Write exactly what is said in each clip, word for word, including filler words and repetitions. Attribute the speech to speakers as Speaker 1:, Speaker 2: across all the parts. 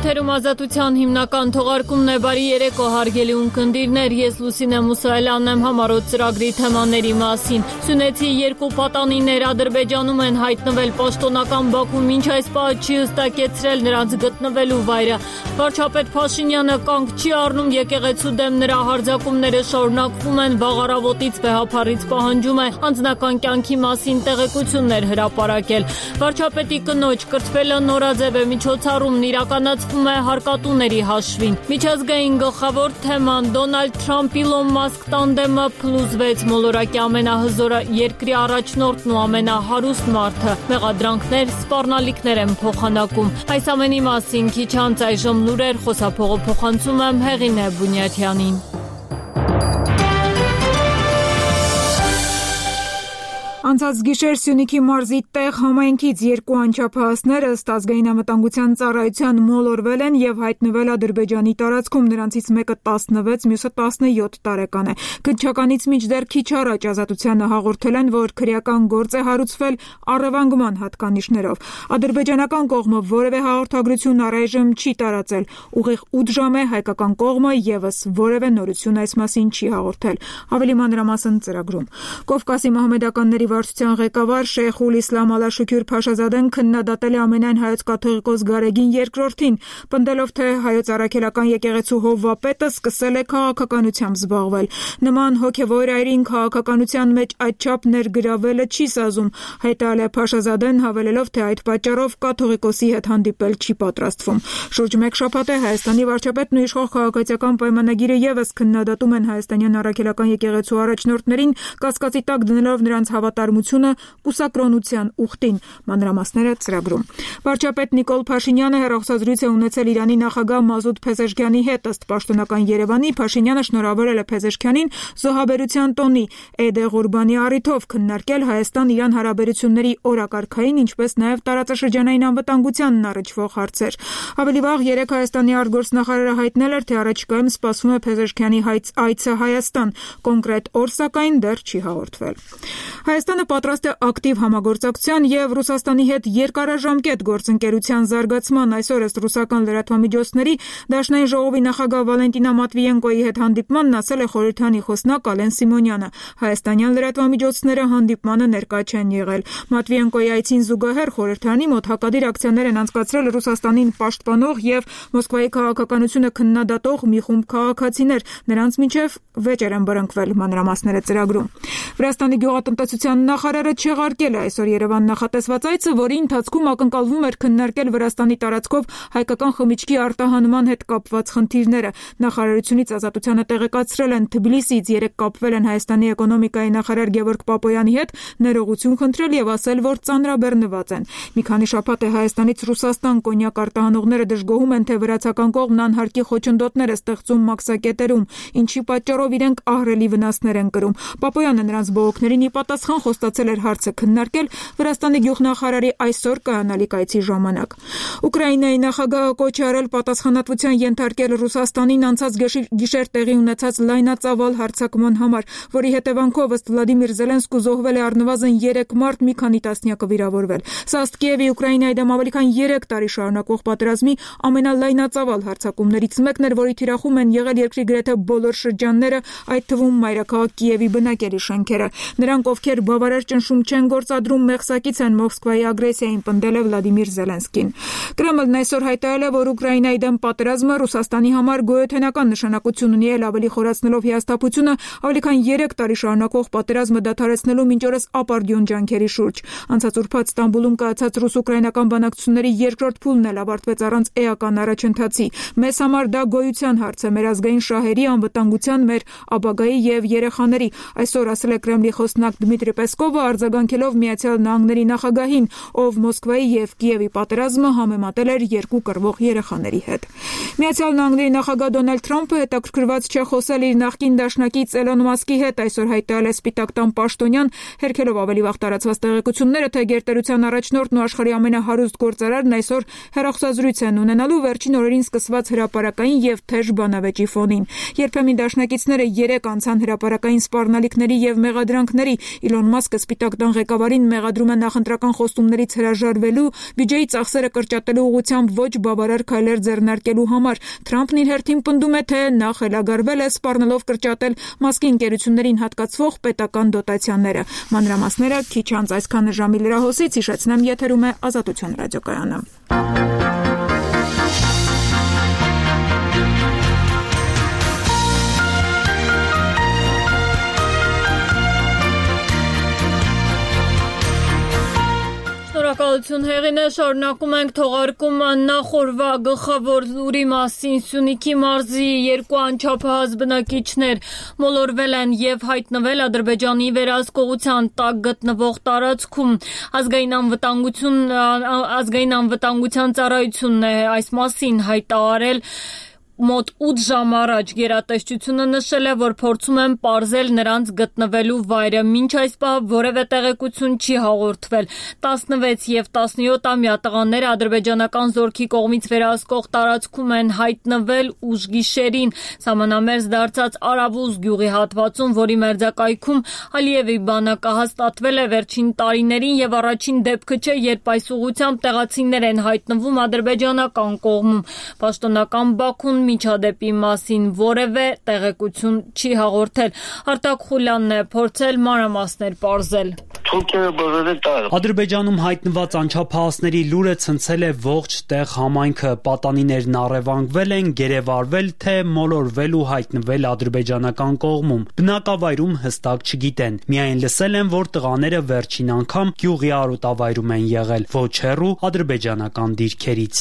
Speaker 1: Եթերում ազատության հիմնական թողարկումն է։ Բարի երեկո, հարգելի ունկնդիրներ, ես Լուսինե Մուսայելյանն եմ համառոտ ծրագրի թեմաների մասին։ Սյունեցի երկու պատանիներ Ադրբեջանում են հայտնվել, պաշտոնական Բաքուն մինչ այս պահը չի հստակեցրել նրանց գտնվելու վայրը։ Վարչապետ Փաշինյանը կանգ չի առնում եկեղեցու դեմ նրա հարձակումները շարունակվում են, վաղ առավոտից վեհափառից պահանջում է անձնական կյանքի մասին տեղեկություններ հրապարակել։ Վարչապետի կնոջ կրթվելը նորաձև է, միջոցառումն իրականացվում է հարկատուների հաշվին։ Միջազգային գլխավոր թեման Դոնալդ Թրամփ-Իլոն Մասկ տանդեմը փլուզվեց, մոլորակի ամենահզոր երկրի առաջնորդն ու ամենահարուստ մարդը։ Մեղադրանքներ, սպառնալիքներ են փոխանակում։ Այս ամենի մասին քիչ անց այժմ լուրեր, խոսափողը փոխանցում եմ Հեղինե Բունյաթյանին։
Speaker 2: Անցած գիշեր Սյունիքի մարզի տեղ համայնքից երկու անչափահասներ ըստ ազգային անվտանգության ծառայության մոլորվել են եւ հայտնվել Ադրբեջանի տարածքում, նրանցից մեկը տասնվեց, մյուսը տասնյոթ տարեկան է։ Քննչականից մինչդեռ քիչ առաջ Ազատությանը հաղորդել են, որ քրեական գործ է հարուցվել առևանգման հատկանիշներով։ Ադրբեջանական կողմը որևէ հաղորդագրություն առայժմ չի տարածել։ Ուղիղ ութ ժամ է, հայկական կողմը եւս որևէ նորություն այս մասին չի հաղորդել։ Ավելի մանրամասն ծրագրում։ Կովկասի մահմեդականների վարչության ղեկավար Շեյխուլ Իսլամ Ալաշուքյուր Փաշազադեն քննադատել է ամենայն հայոց կաթողիկոս Գարեգին երկրորդին, պնդելով, թե հայոց առաքելական եկեղեցու հովվապետը սկսել է քաղաքականությամբ զբաղվել։ Նման հոգևոր այրին քաղաքականության մեջ այդչափ ներգրավելը չի սազում, հայտարարել է Փաշազադեն, հավելելով, թե այդ պատճառով կաթողիկոսի հետ հանդիպել չի պատրաստվում։ Շուրջ մեկ շաբաթ է Հայաստանի վարչապետն ու իշխող քաղաքացիական պայմանագիրը եւս քննադատում են հայաստանյան առաքելական եկեղեցու առաջնորդներին, կասկածի տակ դնելով նրանց հավատարմությունը կուսակրոնության ուխտին։ Մանրամասները ծրագրում։ Վարչապետ Նիկոլ Փաշինյանը հեռախոսազրույց է ունեցել Իրանի նախագահ Մազուդ Փեզեշքյանի հետ, ըստ պաշտոնական Երևանի, Փաշինյանը շնորհավորել է Փեզեշքյանին զոհաբերության տոնի, Էդ Ղուրբանի առիթով քննարկել Հայաստան-Իրան հարաբերությունների օրակարգային, ինչպես նաև տարածաշրջանային անվտանգությանն առնչվող հարցեր։ Ավելի վաղ երեկ Հայաստանի արտգործնախարարը հայտնել էր, թե առաջիկայում սպասվում է Փեզեշքյանի այցը Հայաստան, կոնկրետ օր սակայն դեռ չի հաղորդվել։ Հայաստանը պատրաստ է ակտիվ համագործակցության եւ Ռուսաստանի հետ երկարաժամկետ գործընկերության զարգացման։ Այսօր ըստ ռուսական լրատվամիջոցների Դաշնային ժողովի նախագահ Վալենտինա Մատվիենկոյի հետ հանդիպմանն ասել է խորհրդանի խոսնակ Ալեն Սիմոնյանը։ Հայաստանյան լրատվամիջոցները հանդիպմանը ներկա չեն եղել։ Մատվիենկոյի այցին զուգահեռ խորհրդանի մոտ հակադիր ակցիաներ են անցկացրել Ռուսաստանին պաշտպանող եւ Մոսկվայի քաղաքականությունը քննադատող մի խումբ քաղաքացիներ։ Նրանց միջև վեճեր են բռնկվել, մանրամասները ծրագրում։ Վրաստանի գյուղատնտեսության նախարարը չեղարկել է այսօր Երևան նախատեսված այցը, որի ընթացքում ակնկալվում էր քննարկել Վրաստանի տարածքով հայկական խմիչքի արտահանման հետ կապված խնդիրները։ Նախարարությունից Ազատությանը տեղեկացրել են, Թբիլիսիից երեկ կապվել են Հայաստանի էկոնոմիկայի նախարար Գևորգ Պապոյանի հետ, ներողություն խնդրել եւ ասել, որ ծանրաբեռնված են։ Մի քանի շաբաթ է Հայաստանից Ռուսաստան կոնյակ արտահանողները դժգոհում են, թե վրացական կողմն անհարկի խոչընդոտներ է ստեղծում մաքսակետերում, ինչի պատճառով իրենք ահռելի վնասներ են կրում։ Պապոյանը նրանց բողոքներին ի պատասխան խոստացել էր հարցը քննարկել Վրաստանի գյուղնախարարի այսօր կայանալիք այցի ժամանակ։ Ուկրաինայի նախագահը կոչ է արել պատասխանատվության ենթարկել Ռուսաստանին անցած գիշեր տեղի ունեցած լայնածավալ հարձակման համար, որի հետևանքով ըստ Վլադիմիր Զելենսկու զոհվել է առնվազն երեք մարդ, մի քանի տասնյակը վիրավորվել։ Սա ըստ Կիևի Ուկրաինայի դեմ ավելի քան երեք տարի շարունակվող պատերազմի ամենալայնածավալ հարձակումներից մեկն էր, որի թիրախում են եղել երկրի գրեթե բոլոր շրջանները, այդ թվում մայրաքաղաք Կիևի բնակելի շենքերը։ Նրանք, ովքեր բավարար ճնշում չեն գործադրում, մեղսակից են Մոսկվայի ագրեսիային, պնդել է Վլադիմիր Զելենսկին։ Կրեմլն այսօր հայտարարել է, որ Ուկրաինայի դեմ պատերազմը Ռուսաստանի համար գոյութենական նշանակություն ունի, էլ ավելի խորացնելով հիասթափությունը ավելի քան երեք տարի շարունակվող պատերազմը դադարեցնելու մինչ օրս ապարդյուն ջանքերի շուրջ։ Անցած ուրբաթ Ստամբուլում կայացած ռուս-ուկրաինական բանակցությունների երկրորդ փուլն էլ ավարտվեց առանց էական առաջընթացի։ Մեզ համար դա գոյության հարց է, մեր ազգային շահերի, անվտանգության, մեր ապագայի եւ երեխաների, այսօր ասել է Կրեմլի խոսնակ Դմիտրի Պեսկովը, արձագանքելով Միացյալ Նահանգների նախագահին, ով Մոսկվայի եւ Կիևի պատերազմը համեմատել էր երկու կռվող երեխաների հետ։ Միացյալ Նահանգների նախագահ Դոնալդ Թրամփը հետաքրքրված չէ խոսել իր նախկին դաշնակից Էլոն Մասկի հետ, այսօր հայտարարել է Սպիտակ տան պաշտոնյան, հերքելով ավելի վաղ տարածված տեղեկությունները, թե գերտերության առաջնորդն ու աշխարհի ամենահարուստ գործարարն այսօր հեռախոսազրույց են ունենալու վերջին օրերին սկսված հրապարակային եւ թեժ բանավեճի ֆոնին։ Երբեմն դաշնակիցները երեք անցան հրապարակային սպառնալիքների եւ մեղադրանքների։ Իլոն Մասկը Սպիտակ տան ղեկավարին մեղադրում է նախընտրական խոստումներից հրաժարվելու, բյուջեի ծախսերը կրճատելու ուղղությամբ ոչ բավարար քայլեր ձեռնարկելու համար։ Թրամփն իր հերթին պնդում է, թե նա խելագարվել է սպառնալով կրճատել Մասկի ընկերություններին հատկացվող պետական դոտացիաները։ Մանրամասները քիչ անց այսքան ժամի լրահոսից հիշեցնեմ, եթերում է Ազատություն ռադիոկայանը։
Speaker 1: Շնորհակալություն Հեղինե, շարունակում ենք թողարկումը նախորվա գլխավոր լուրի մասին։ Սյունիքի մարզի երկու անչափահաս բնակիչներ մոլորվել են եւ հայտնվել Ադրբեջանի վերահսկողության տակ գտնվող տարածքում։ Ազգային անվտանգություն ազգային անվտանգության ծառայությունն է այս մասին հայտարարել մոտ ութ ժամ առաջ։ Գերատեսչությունը նշել է, որ փորձում են պարզել նրանց գտնվելու վայրը։ Մինչ այս պահ որևէ տեղեկություն չի հաղորդվել։ տասնվեց եւ տասնյոթամյա տղաները ադրբեջանական զորքի կողմից վերահսկող տարածքում են հայտնվել ուշ գիշերին սահմանամերձ դարձած Արավուզ գյուղի հատվածում, որի մերձակայքում Ալիևի բանակը հաստատվել է վերջին տարիներին եւ առաջին դեպքը չէ, երբ այս ուղղությամբ տեղացիներ են հայտնվում ադրբեջանական կողմում։ Պաշտոնական Բաքուն միջադեպի մասին որևէ տեղեկություն չի հաղորդել։ Արտակ Խուլյանն է փորձել մանրամասներ պարզել։
Speaker 3: Ադրբեջանում հայտնված անչափահասների լուրը ցնցել է ողջ տեղ համայնքը։ Պատանիներն առևանգվել են, գերեվարվել, թե մոլորվել ու հայտնվել ադրբեջանական կողմում։ Բնակավայրում հստակ չգիտեն։ Միայն լսել են, որ տղաները վերջին անգամ գյուղի արոտավայրում են եղել, ոչ հեռու ադրբեջանական դիրքերից։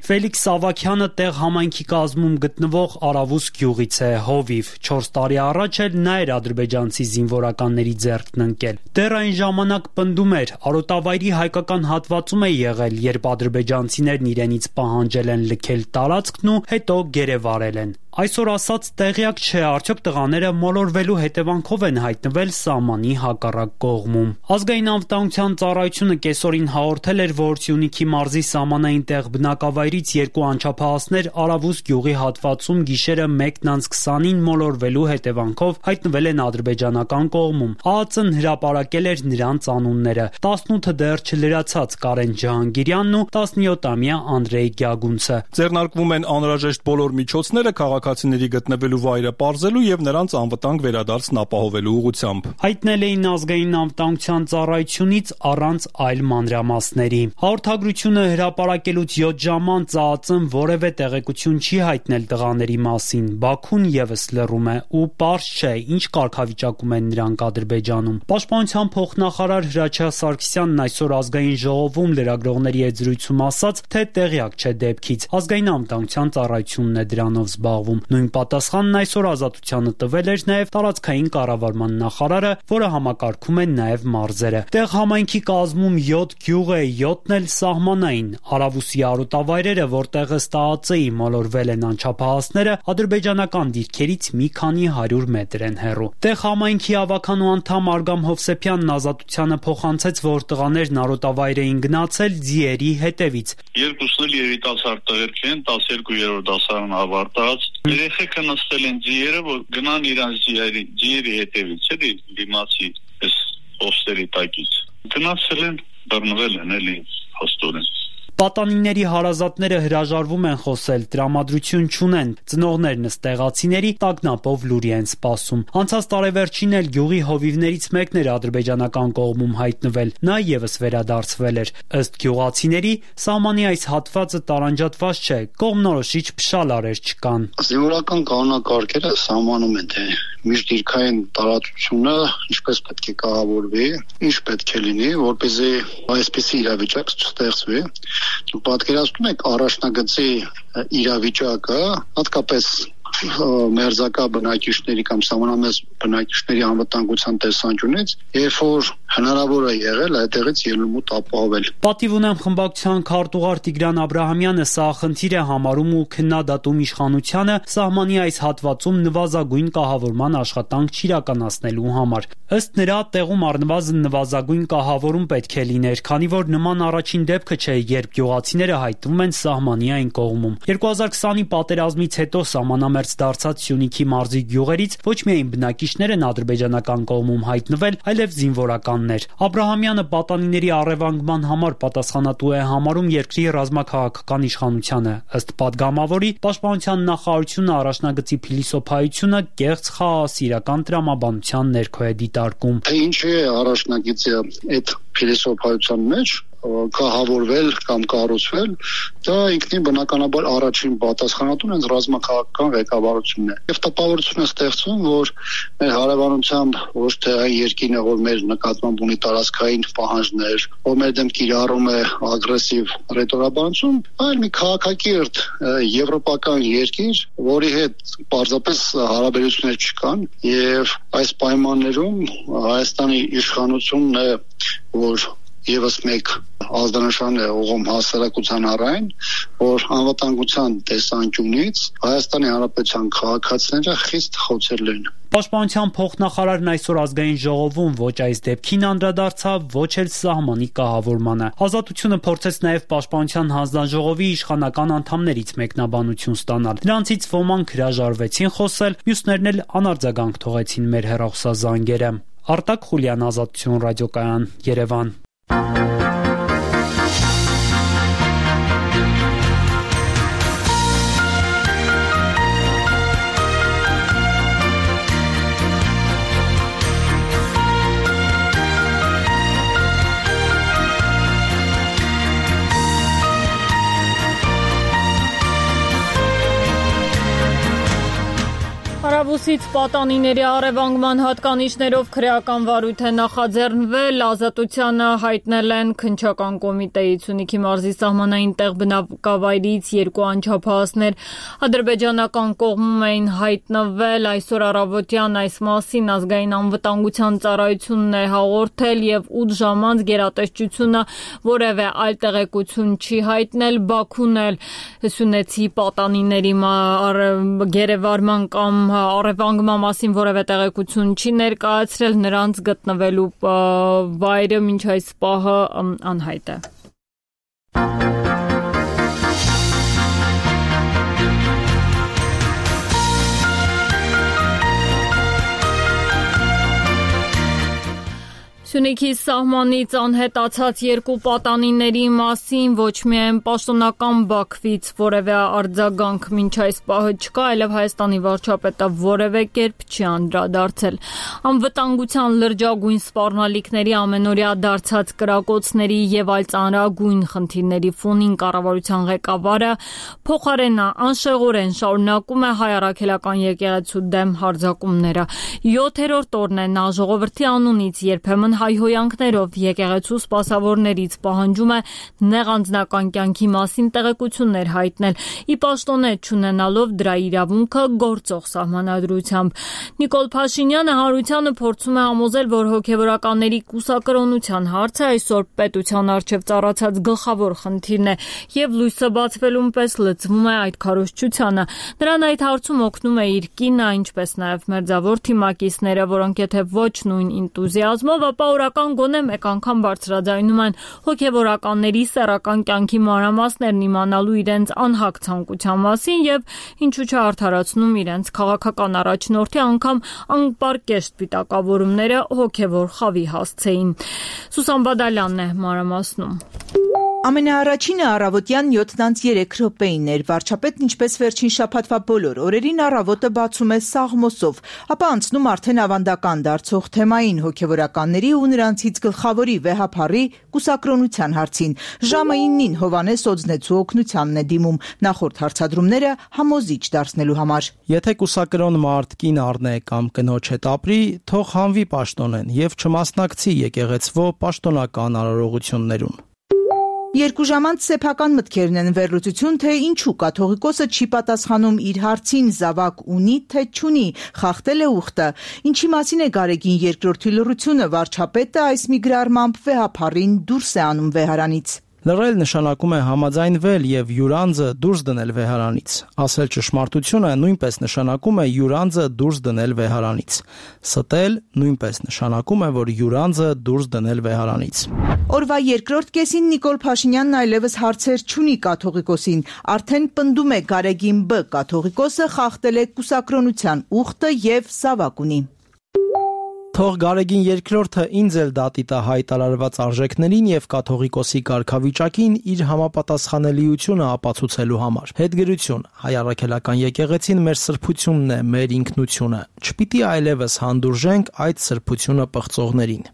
Speaker 3: Ֆելիքս Սավաքյանը տեղ համայնքի կազմում գտնվող Արավուս գյուղից է, հովիվ։ չորս տարի առաջ էլ նա էր ադրբեջանցի զինվորականների ձեռքն ընկել։ Դեռ այն ժամանակ պնդում էր, արոտավայրի հայկական հատվածում է եղել, երբ ադրբեջանցիներն իրենից պահանջել են լքել տարածքն ու հետո գերեվարել են։ Այսօր ասած տեղյակ չէ, արդյոք տղաները մոլորվելու հետևանքով են հայտնվել սահմանի հակառակ կողմում։ Ազգային անվտանգության ծառայությունը կեսօրին հաղորդել էր, որ Սյունիքի մարզի սահմանային տեղ բնակավայրից երկու անչափահասներ Արավուս գյուղի հատվածում գիշերը մեկն անց քսանին մոլորվելու հետևանքով հայտնվել են ադրբեջանական կողմում։ ԱԱԾ-ն հրապարակել էր նրանց անունները՝ տասնութը դեռ չլրացած Կարեն Ջահանգիրյանն ու տասնյոթամյա Անդրեյ Գյագունցը։
Speaker 4: Ձեռնարկվում են անհրաժեշտ բոլոր միջոցները քաղաքացիների գտնվելու վայրը պարզելու եւ նրանց անվտանգ վերադարձն ապահովելու ուղղությամբ։
Speaker 3: Հայտնել էին ազգային անվտանգության ծառայությունից առանց այլ մանրամասների։ Հաղորդագրությունը հրապարակելուց յոթ ժամ անց ԱԱԾ-ն որևէ տեղեկություն չի հայտնել տղաների մասին։ Բաքուն եւս լռում է ու պարզ չէ, ինչ կարգավիճակում են նրանք Ադրբեջանում։ Պաշտպանության փոխնախարար Հրաչյա Սարգսյանն այսօր ազգային ժողովում լրագրողների հետ զրույցում ասաց, թե տեղյակ չէ դեպքից։ Ազգային անվտանգության ծառայությունն է դրանով զբաղվում։ Նույն պատասխանն այսօր Ազատությանը տվել էր նաև տարածքային կառավարման նախարարը, որը համակարգում է նաև մարզերը։ Տեղ համայնքի կազմում յոթ գյուղ է, յոթն էլ սահմանային։ Արավուսի արոտավայրերը, որտեղ ըստ ԱԱԾ-ի մոլորվել են անչափահասները, ադրբեջանական դիրքերից մի քանի հարյուր մետր են հեռու։ Տեղ համայնքի ավականու անդամ Արգամ Հովսեփյանն Ազատությանը փոխանցեց, որ տղաներն արոտավայր էին գնացել ձիերի հետևից։
Speaker 5: Երկուսն էլ երիտասարդ տղերք են, տասներկու դասարան ավարտած։ Երեխեքը նստել են ձիերը, որ գնան իրանց ձիերի ձիերի հետևից, էլի դիմացի այս պոստերի տակից։ Գնացել են, բռնվել են, էլի հաստորեն։
Speaker 3: Պատանիների հարազատները հրաժարվում են խոսել, տրամադրություն չունեն։ Ծնողներն ըստ տեղացիների տագնապով լուրի են սպասում։ Անցած տարեվերջին էլ գյուղի հովիվներից մեկն էր ադրբեջանական կողմում հայտնվել։ Նա եւս վերադարձվել էր։ Ըստ գյուղացիների, սահմանի այս հատվածը տարանջատված չէ, կողմնորոշիչ փշալարեր չկան։
Speaker 6: Զինվորական կանոնակարգերը սահմանում են, թե միջդիրքային տարածությունը ինչպես պետք է կառավարվի, ինչ պետք է լինի, որպեսզի այսպիսի իրավիճակ չստեղծվի։ Պատկերացնում եք առաջնագծի իրավիճակը, հատկապես մերձակա բնակիչների կամ սահմանամերձ բնակիչների անվտանգության տեսանկյունից, երբ որ հնարավոր է եղել այդտեղից ելումուտ ապահովել։
Speaker 3: Պատիվ ունեմ խմբակցության քարտուղար Տիգրան Աբրահամյանը սա խնդիր է համարում ու քննադատում իշխանությանը սահմանի այս հատվածում նվազագույն կահավորման աշխատանք չիրականացնելու համար։ Ըստ նրա, տեղում առնվազն նվազագույն կահավորում պետք է լիներ, քանի որ նման առաջին դեպքը չէ, երբ գյուղացիները հայտնվում են սահմանի այն կողմում։ երկու հազար քսանի պատերազմից հետո սահմանամերձ դարձած Սյունիքի մարզի գյուղերից ոչ միայն բնակիչներ են ադրբեջանական կողմում հայտնվել, այլև զինվորականներ։ Աբրահամյանը պատանիների առևանգման համար պատասխանատու է համարում երկրի ռազմաքաղաքական իշխանությանը։ Ըստ պատգամավորի, պաշտպանության նախարարությունը առաջնագծի փիլիսոփայությունը կեղծ խաղաղասիրական տրամաբանության ներքո է դիտարկում։
Speaker 6: Ինչ է առաջնագծի այդ փիլիսոփայության մեջ կահավորվել կամ կառուցվել, դա ինքնին բնականաբար առաջին պատասխանատուն հենց ռազմաքաղաքական ղեկավարությունն է։ Եվ տպավորություն է ստեղծում, որ մեր հարևանությամբ ոչ թե այն երկիրն է, որ մեր նկատմամբ ունի տարածքային պահանջներ, որ մեր դեմ կիրառում է ագրեսիվ ռետորաբանություն, այլ մի քաղաքակիրթ եվրոպական երկիր, որի հետ պարզապես հարաբերություններ չկան, եւ այս պայմաններում Հայաստանի իշխանությունն է, որ Եվս մեկ ազդանշան է ուղղում հասարակության առայն, որ անվտանգության տեսանկյունից Հայաստանի Հանրապետության քաղաքացիները խիստ խոցել են։
Speaker 3: Պաշտպանության փոխնախարարն այսօր ազգային ժողովում ոչ այս դեպքին անդրադարձավ, ոչ էլ սահմանի կահավորմանը։ Ազատությունը փորձեց նաև պաշտպանության հանձնաժողովի իշխանական անդամներից մեկնաբանություն ստանալ։ Նրանցից ոմանք հրաժարվեցին խոսել, մյուսներն էլ անարձագանք թողեցին մեր հեռախոսազանգերը։ Արտակ Խուլյան, Ազատություն ռադիոկայան, Երևան։
Speaker 1: Հարավուսից պատանիների առևանգման հատկանիշներով քրեական վարույթ է նախաձեռնվել, ազատությանը հայտնել են քննչական կոմիտեից։ Սյունիքի մարզի սահմանային տեղ բնակավայրից երկու անչափահասներ ադրբեջանական կողմում էին հայտնվել, այսօր առավոտյան այս մասին ազգային անվտանգության ծառայությունն է հաղորդել եւ ութ ժամ անց գերատեսչությունը որևէ այլ տեղեկություն չի հայտնել։ Բաքուն էլ սյունեցի պատանիների գերեվարման կամ առևանգման մասին որևէ տեղեկություն չի ներկայացրել, նրանց գտնվելու վայրը մինչ այս պահը անհայտ է։ Սյունիքի սահմանից անհետացած երկու պատանիների մասին ոչ միայն պաշտոնական Բաքվից որևէ արձագանք մինչ այս պահը չկա, այլև Հայաստանի վարչապետը որևէ կերպ չի անդրադարձել։ Անվտանգության լրջագույն սպառնալիքների, ամենօրյա դարձած կրակոցների եւ այլ ծանրագույն խնդիրների ֆոնին կառավարության ղեկավարը փոխարենը անշեղորեն շարունակում է հայ առաքելական եկեղեցու դեմ հարձակումները։ յոթերորդ օրն է նա ժողովրդի անունից երբեմն հայհոյանքներով եկեղեցու սպասավորներից պահանջում է նեղ անձնական կյանքի մասին տեղեկություններ հայտնել, ի պաշտոնե չունենալով դրա իրավունքը գործող սահմանադրությամբ։ Նիկոլ Փաշինյանը հանրությանը փորձում է համոզել, որ հոգևորականների կուսակրոնության հարցը այսօր պետության առջև ծառացած գլխավոր խնդիրն է եւ լույսը բացվելուն պես լծվում է այդ քարոզչությանը։ Նրան այդ հարցում օգնում է իր կինը, ինչպես նաեւ մերձավոր թիմակիցները, որոնք եթե ոչ նույն ինտուզիազմով, ապա օրական գոնե մեկ անգամ բարձրաձայնում են հոգևորականների սեռական կյանքի մանրամասներն իմանալու իրենց անհագ ցանկության մասին եւ ինչու՞ չարդարացնում իրենց քաղաքական առաջնորդի անգամ անպարկեշտ պիտակավորումները հոգևոր խավի հասցեին։ Սուսան Բադալյանն է մանրամասնում։
Speaker 7: Ամենաառաջինը առավոտյան յոթ անց երեք րոպեին էր։ Վարչապետն ինչպես վերջին շաբաթվա բոլոր օրերին առավոտը բացում է Սաղմոսով, ապա անցնում արդեն ավանդական դարձող թեմային հոգևորականների ու նրանցից գլխավորի վեհափառի կուսակրոնության հարցին։ Ժամը իննին Հովանես Օձնեցու օգնությանն է դիմում նախորդ հարցադրումները համոզիչ դարձնելու համար։
Speaker 8: Եթե կուսակրոն մարդ կին առնե կամ կնոջ հետ ապրի, թող հանվի պաշտոնեն եւ չմասնակցի եկեղեցվո պաշտոնական արարողություններուն։
Speaker 7: Երկուժամանց սեփական մտքերն են վերլուծություն, թե ինչու կաթողիկոսը չի պատասխանում իր հարցին զավակ ունի, թե չունի, խախտել է ուխտը, ինչի մասին է Գարեգին երկրորդի լռությունը, վարչապետը այս մի գրառմամբ վեհափառին դուրս է անում վեհարանից։
Speaker 8: Լռել նշանակում է համաձայնվել եւ յուրանձը դուրս դնել վեհարանից։ Ասել ճշմարտությունը նույնպես նշանակում է յուրանձը դուրս դնել վեհարանից։ Ստել նույնպես նշանակում է, որ յուրանձը դուրս դնել վեհարանից։
Speaker 7: Օրվա երկրորդ կեսին Նիկոլ Փաշինյանն այլևս հարցեր չունի կաթողիկոսին, արդեն պնդում է Գարեգին Բ. Կաթողիկոսը խախտել է կուսակրոնության ուխտը եւ զավակ ունի։
Speaker 8: Թող Գարեգին երկրորդը ինձ էլ դատի տա հայտարարված արժեքներին եւ կաթողիկոսի կարգավիճակին իր համապատասխանելիությունը ապացուցելու համար։ Հետգրություն, հայ առաքելական եկեղեցին մեր սրբությունն է, մեր ինքնությունը։ Չպիտի այլևս հանդուրժենք այդ սրբությունը պղծողներին։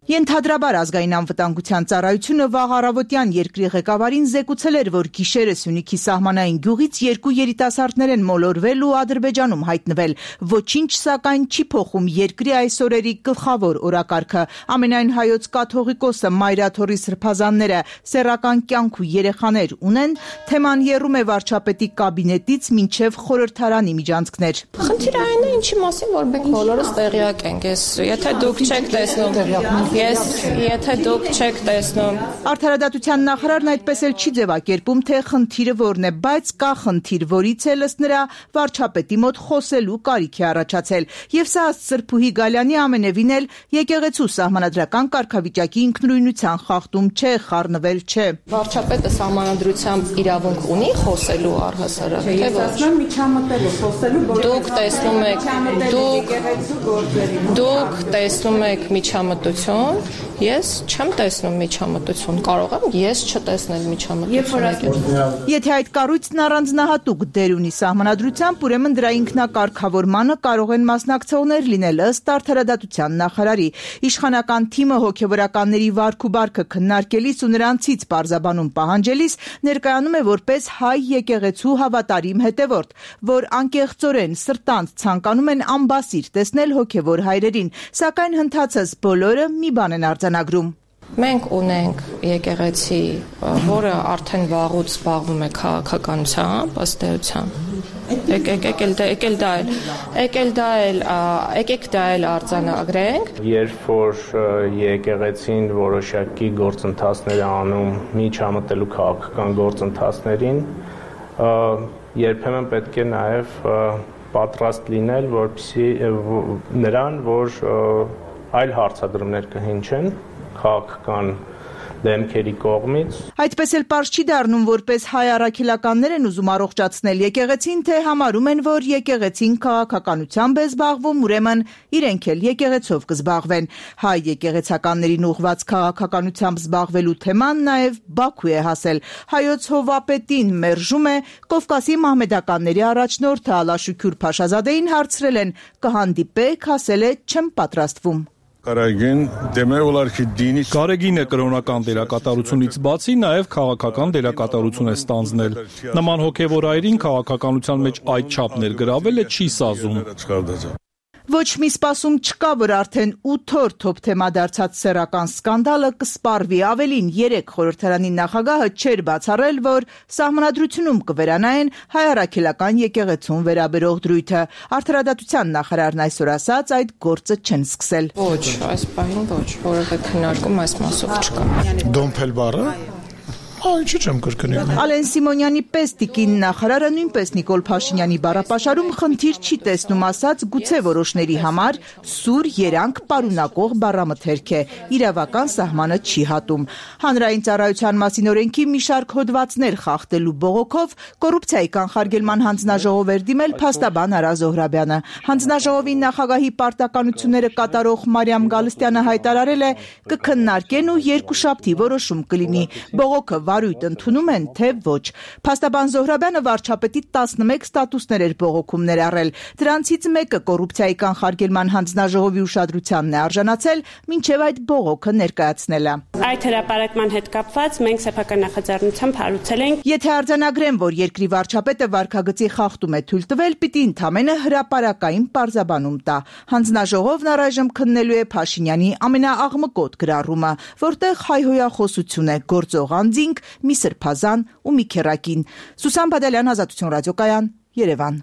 Speaker 7: Ենթադրաբար ազգային անվտանգության ծառայությունը վաղ առավոտյան երկրի ղեկավարին զեկուցել էր, որ գիշերը Սյունիքի սահմանային գյուղից երկու երիտասարդներ են մոլորվել ու Ադրբեջանում հայտնվել։ Ոչինչ սակայն չի փոխում երկրի այս օրերի գլխավոր օրակարգը։ Ամենայն հայոց կաթողիկոսը, մայրաթորի սրբազանները, սեռական կյանք ու երեխաներ ունեն, թեման եռում է վարչապետի կաբինետից մինչև խորհրդարանի միջանցքներ։
Speaker 9: Խնդիրը այն է, ինչի մասին որ մենք բոլորս տեղյակ ենք։ Ես եթե դուք չեք տեսնում Ես, եթե դուք չեք տեսնում։
Speaker 7: Արդարադատության նախարարն այդպես էլ չի ձևակերպում, թե խնդիրը որն է, բայց կա խնդիր, որից էլ ըստ նրա վարչապետի մոտ խոսելու կարիք է առաջացել։ Եվ սա ըստ Սրբուհի Գալյանի ամենևին էլ եկեղեցու սահմանադրական կարգավիճակի ինքնուրույնության խախտում չէ, խառնվել չէ։
Speaker 9: Վարչապետը սահմանադրությամբ իրավունք ունի խոսելու առհասարակ, թե ոչ։
Speaker 7: Միջամտելու խոսելու,
Speaker 9: Դուք տեսնում եք, դուք դուք տեսնում եք միջամտություն, ես չեմ տեսնում միջամտություն, կարող եմ ես չտեսնել միջամտություն։
Speaker 7: Եթե այդ կառույցն առանձնահատուկ դեր ունի սահմանադրությամբ, ուրեմն դրա ինքնակարգավորմանը կարող են մասնակցողներ լինել ըստ արդարադատության նախարարի։ Իշխանական թիմը հոգևորականների վարք ու բարքը քննարկելիս ու նրանցից պարզաբանում պահանջելիս ներկայանում է որպես հայ եկեղեցու հավատարիմ հետևորդ, որ անկեղծորեն սրտանց ցանկանում են ամբասիր տեսնել հոգևոր հայրերին, սակայն հնդածս բոլորը մի բան են արձանագրում։
Speaker 9: Մենք ունենք եկեղեցի, որը արդեն վաղուց զբաղվում է քաղաքականությամբ, ըստ էության։ Եկել դա եկել դա էլ, եկել դա էլ, եկեք դա էլ արձանագրենք։
Speaker 10: Երբ որ եկեղեցին որոշակի գործընթացներ է անում միջամտելու քաղաքական գործընթացներին, երբեմն պետք է նաև պատրաստ լինել, որպեսզի նրան, որ այլ հարցադրումներ կհնչեն քաղաքական դեմքերի կողմից։
Speaker 7: Այդպես էլ պարզ չի դառնում, որպես հայ առաքելականներ են ուզում առողջացնել եկեղեցին, թե համարում են, որ եկեղեցին քաղաքականությամբ է զբաղվում, ուրեմն իրենք էլ եկեղեցով կզբաղվեն։ Հայ եկեղեցականներին ուղղված քաղաքականությամբ զբաղվելու թեման նաև Բաքու է հասել։ Հայոց հովապետին մերժում է Կովկասի մահմեդականների առաջնորդը Ալաշուքյուր Փաշազադեին հարցրել են՝ կհանդիպեք, ասել է չեմ պատրաստվում։
Speaker 4: Գարեգինը կրոնական դերակատարությունից բացի նաև քաղաքական դերակատարություն է ստանձնել։ Նման հոգևոր այրին քաղաքականության մեջ այդ չափ ներգրավելը չի սազում։
Speaker 7: Ոչ մի սպասում չկա, որ արդեն ութ օր թոփ թեմա դարձած սեռական սկանդալը կսպառվի։ Ավելին, երեք խորհրդարանի նախագահը չէր բացառել, որ սահմանադրությունում կվերանային հայ առաքելական եկեղեցուն վերաբերող դրույթը։ Արդարադատության նախարարն այսօր ասաց, այդ գործը չեն սկսել։
Speaker 9: Ոչ, այս պահին ոչ, որևէ քննարկում այս մասով չկա։
Speaker 11: Դոմփել բառը Ինչի՞ չեմ կրկնում։
Speaker 7: Ալեն Սիմոնյանի պես տիկին նախարարը նույնպես Նիկոլ Փաշինյանի բառապաշարում խնդիր չի տեսնում, ասաց գուցե որոշների համար սուր երանգ պարունակող բառամթերք է, իրավական սահմանը չի հատում։ Հանրային ծառայության մասին օրենքի մի շարք հոդվածներ խախտելու բողոքով կոռուպցիայի կանխարգելման հանձնաժողով էր դիմել փաստաբան Արա Զոհրաբյանը։ Հանձնաժողովի նախագահի պարտականությունները կատարող Մարիամ Գալստյանը հայտարարել է կքննարկեն ու երկուշաբթի որոշում կլինի։ Բողոքը վարույթ ընդունում են, թե ոչ։ Փաստաբան Զոհրաբյանը վարչապետի տասնմեկ ստատուսներ էր բողոքում ներառել։ Դրանցից մեկը կոռուպցիայի կանխարգելման հանձնաժողովի ուշադրությանն է արժանացել, մինչև այդ բողոքը ներկայացնելը։
Speaker 12: Այդ հրապարակման հետ կապված մենք սեփական նախաձեռնությամբ հարուցել ենք.
Speaker 7: Եթե արձանագրեն, որ երկրի վարչապետը վարքագծի խախտում է թույլ տվել, պիտի ընդամենը հրապարակային պարզաբանում տա։ Հանձնաժողովն առայժմ քննելու է Փաշինյանի ամենաաղմկոտ գրառումը, որտեղ հայհոյախոսություն է գործող անձինք, մի սրբազան ու մի քեռակին։ Սուսան Բադալյան, Ազատություն ռադիոկայան, Երևան։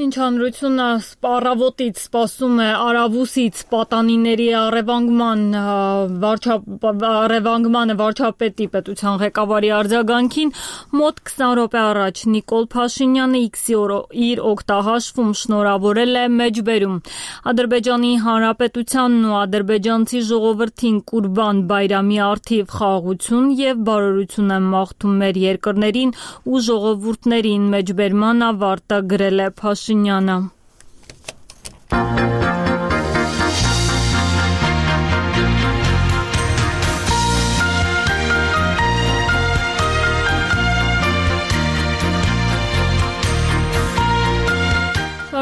Speaker 1: Մինչ հանրությունը առավոտից սպասում է Արավուսից պատանիների առևանգման առևանգմանը վարչապետի պետության ղեկավարի արձագանքին, մոտ քսան րոպե առաջ Նիկոլ Փաշինյանը X-ի իր օգտահաշվում շնորհավորել է մեջբերում Ադրբեջանի Հանրապետությանն ու ադրբեջանցի ժողովրդին Կուրբան Բայրամի առթիվ խաղաղություն եւ բարօրություն եմ մաղթում մեր երկրներին ու ժողովուրդներին մեջբերման ավարտը գրել է Փաշինյանը։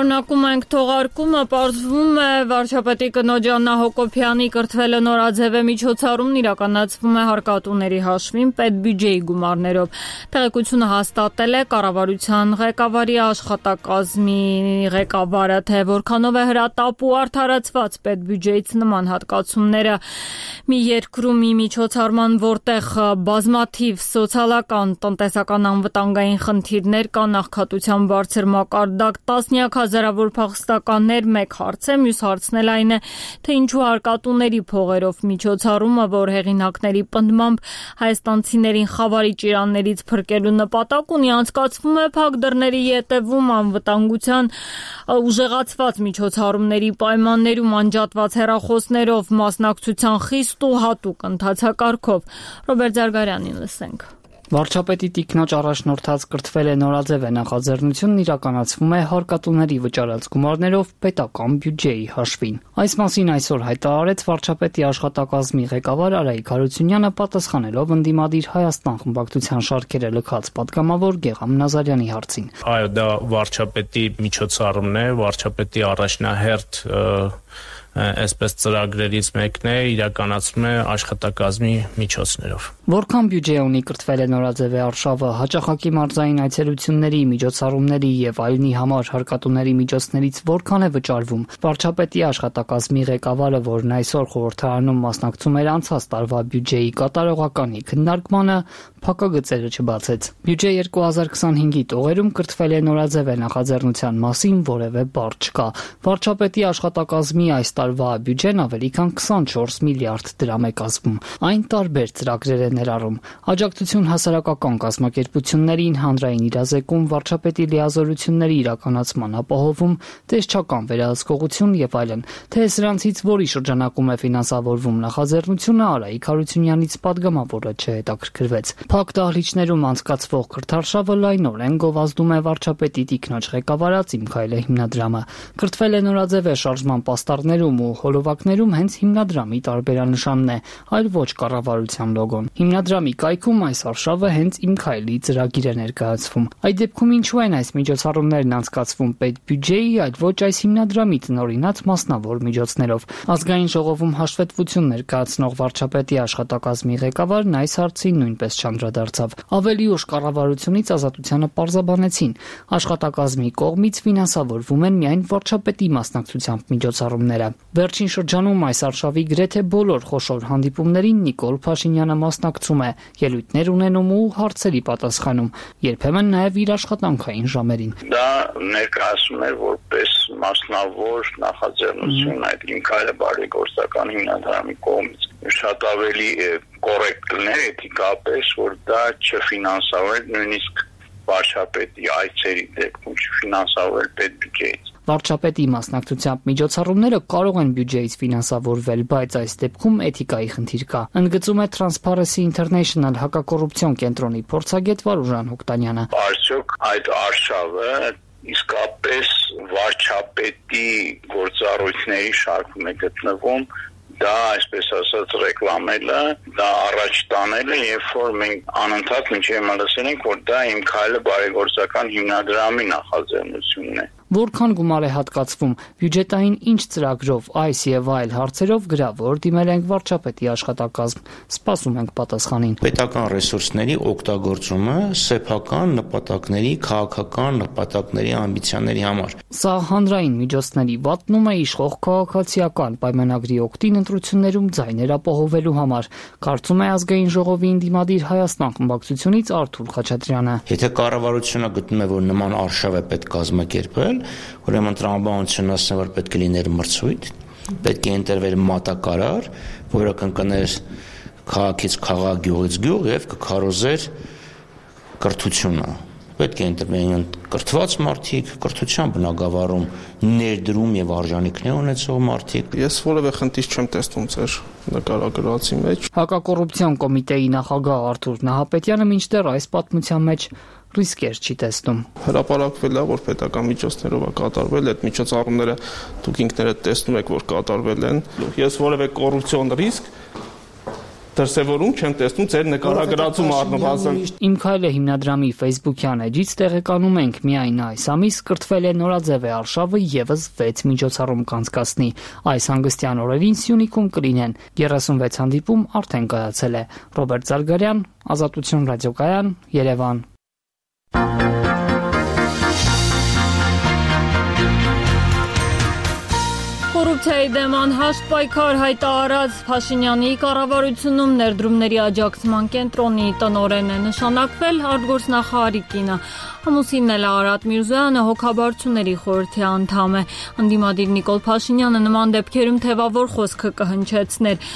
Speaker 1: Շարունակում ենք թողարկումը, պարզվում է վարչապետի կնոջ Աննա Հակոբյանի կրթվելը նորաձև է միջոցառումն իրականացվում է հարկատուների հաշվին պետբյուջեի գումարներով։ Տեղեկությունը հաստատել է կառավարության ղեկավարի աշխատակազմի ղեկավարը, թե որքանով է հրատապ ու արդարացված պետբյուջեից նման հատկացումները մի երկրում մի միջոցառման, որտեղ բազմաթիվ սոցիալական, տնտեսական անվտանգային խնդիրներ կան, աղքատության բարձր մակարդակ, տասնյակ հազարավոր փախստականներ, մեկ հարց է, մյուս հարցն էլ այն է, թե ինչու հարկատուների փողերով միջոցառումը, որ հեղինակների պնդմամբ հայաստանցիներին խավարի ճիրաններից փրկելու նպատակ ունի, անցկացվում է փակ դռների ետևում անվտանգության ուժեղացված միջոցառումների պայմաններում անջատված հեռախոսներով, մասնակցության խիստ ու հատուկ ընթացակարգով։ Ռոբերտ Զարգարյանին լսենք։
Speaker 13: Վարչապետի տիկնոջ առաջնորդած կրթվել է նորաձև է նախաձեռնությունն իրականացվում է հարկատուների վճարած գումարներով պետական բյուջեի հաշվին։ Այս մասին այսօր հայտարարեց վարչապետի աշխատակազմի ղեկավար Արայիկ Հարությունյանը պատասխանելով ընդդիմադիր Հայաստան խմբակցության շարքերը լքած պատգամավոր Գեգամ Նազարյանի հարցին։
Speaker 10: Այո, դա վարչապետի միջոցառումն է, վարչապետի առաջնահերթ այսպես ծրագրերից մեկն է, իրականացվում է աշխատակազմի միջոցներով։
Speaker 13: Որքան բյուջե ունի կրթվել է նորաձև է արշավը, հաճախակի մարզային այցելությունների, միջոցառումների եւ այլնի համար հարկատուների միջոցներից որքան է վճարվում։ Վարչապետի աշխատակազմի ղեկավարը, որն այսօր խորհրդարանում մասնակցում էր անցած տարվա բյուջեի կատարողականի քննարկմանը, փակագծերը չբացեց։ Բյուջե երկու հազար քսանհինգի տողերում կրթվել է նորաձև է նախաձեռնության մասին որևէ բառ չկա։ Վարչապետի աշխատակազմի այս տարվա բյուջեն ավելի քան քսանչորս միլիարդ դրամ է կազմում։ Այն տարբեր ծրագրեր է ներառում։ Աջակցություն հասարակական կազմակերպություններին, հանրային իրազեկում, վարչապետի լիազորությունների իրականացման ապահովում, տեսչական վերահսկողություն եւ այլն։ Թե սրանցից որի շրջանակում է ֆինանսավորվում նախաձեռնությունը, Արայիկ Հարությունյանից պատգամավորը չհետաքրքրվեց։ Փակ դահլիճներում անցկացվող կրթարշավը լայնորեն գովազդում է վարչապետի տիկնոջ ղեկավարած Իմ քայլը հիմնադրամը։ Կրթվել է նորաձև է շարժման պաստառներում ու հոլովակներում հենց հիմնադրամի տարբերանշանն է, այլ ոչ կառավարության լոգոն։ Հիմնադրամի կայքում այս արշավը հենց Իմ քայլի ծրագիր է ներկայացվում։ Այդ դեպքում ինչու են այս միջոցառումներն անցկացվում պետբյուջեի, այլ ոչ այս հիմնադրամի տնօրինած մասնավոր միջոցներով։ Ազգային ժողովում հաշվետվություն ներկայացնող վարչապետի աշխատակազմի ղեկավարն այս հարցին նույնպես չանդրադարձավ։ Ավելի ուշ կառավարությունից Ազատությանը պարզաբանեցին, աշխատակազմի կողմից ֆինանսավորվում են միայն վարչապետի մասնակցությամբ միջոցառումները։ Վերջին շրջանում այս արշավի գրեթե բոլոր խոշոր հանդիպումներին Նիկոլ Փաշինյանը մասնակցում է, ելույթներ ունենում ու հարցերի պատասխանում, երբեմն նաև իր աշխատանքային ժամերին։
Speaker 5: Դա ներկայացում է որպես մասնավոր նախաձեռնություն այդ Իմ քայլը բարեգործական հիմնադրամի կողմից։ Շատ ավելի
Speaker 6: կոռեկտ կլներ էթիկապես, որ դա չֆինանսավորել նույնիսկ վարչապետի այցերի դեպքում չֆինանսավորել պետբյուջեից։
Speaker 13: Վարչապետի մասնակցությամբ միջոցառումները կարող են բյուջեից ֆինանսավորվել, բայց այս դեպքում էթիկայի խնդիր կա։ Ընդգծում է Transparency International հակակոռուպցիոն կենտրոնի փորձագետ Վարուժան Հոկտանյանը։
Speaker 6: Արդյոք այդ արշավը իսկապես վարչապետի գործառույթների շարքում է գտնվում, դա այսպես ասած ռեկլամելը, դա առաջ տանելը, երբ որ մենք անընդհատ մինչև լսել ենք, որ դա իմ քայլը բարեգործական հիմնադրամի նախաձեռնությունն է։
Speaker 13: Որքան գումար է հատկացվում, բյուջետային ինչ ծրագրով, այս եւ այլ հարցերով գրավոր դիմել ենք վարչապետի աշխատակազմ, սպասում ենք պատասխանին։
Speaker 14: Պետական ռեսուրսների օգտագործումը սեփական նպատակների, քաղաքական նպատակների, ամբիցիաների համար։
Speaker 13: Սա հանրային միջոցների վատնում է իշխող քաղաքացիական պայմանագրի օգտին ընտրություններում ձայներ ապահովելու համար, կարծում է ազգային ժողովի ընդդիմադիր Հայաստան խմբակցությունից Արթուր Խաչատրյանը։
Speaker 14: Եթե կառավարությունը գտնում է, որ նման արշավ է պետք կազմակերպել, ուրեմն տրամաբանությունն ասում որ պետք է լիներ մրցույթ, պետք է ընտրվեր մատակարար, որը կընկներ քաղաքից քաղաք, գյուղից գյուղ եւ կքարոզեր կրթությունը։ Պետք է ընտրվեն կրթված մարդիկ, կրթության բնագավառում ներդրում եւ արժանինքներ ունեցող մարդիկ։
Speaker 11: Ես որևէ խնդիր չեմ տեսնում ձեր նկարագրածի մեջ։
Speaker 13: Հակակոռուպցիոն կոմիտեի նախագահ Արթուր Նահապետյանը մինչդեռ այս պատմության մեջ ռիսկեր չի տեսնում։
Speaker 11: Հրապարակվել է, որ պետական միջոցներով է կատարվել, այդ միջոցառումները դուք ինքներդ տեսնում եք, որ կատարվել են։ Ես որևէ կոռուպցիոն ռիսկ դրսևորում չեմ տեսնում ձեր նկարագրածում առնվազն։
Speaker 13: Իմ քայլը հիմնադրամի Facebook-յան էջից տեղեկանում ենք միայն այս ամիս կրթվել է նորաձև արշավը եւս վեց միջոցառում կանցկացնի։ Այս հանգստյան օրերին Սյունիքում կլինեն երեսունվեց հանդիպում արդեն կայացել է։ Ռոբերտ Զարգարյան, Ազատություն ռադիոկայան, Երևան։
Speaker 1: Կոռուպցիայի դեմ անհաշտ պայքար հայտարարած Փաշինյանի կառավարությունում ներդրումների աջակցման կենտրոնի տնօրեն է նշանակվել արտգործնախարարի կինը։ Ամուսինն էլ Արարատ Միրզոյանը հոգաբարձությունների խորհրդի անդամ է։ Ընդդիմադիր Նիկոլ Փաշինյանը նման դեպքերում թևավոր խոսքը կհնչեցներ։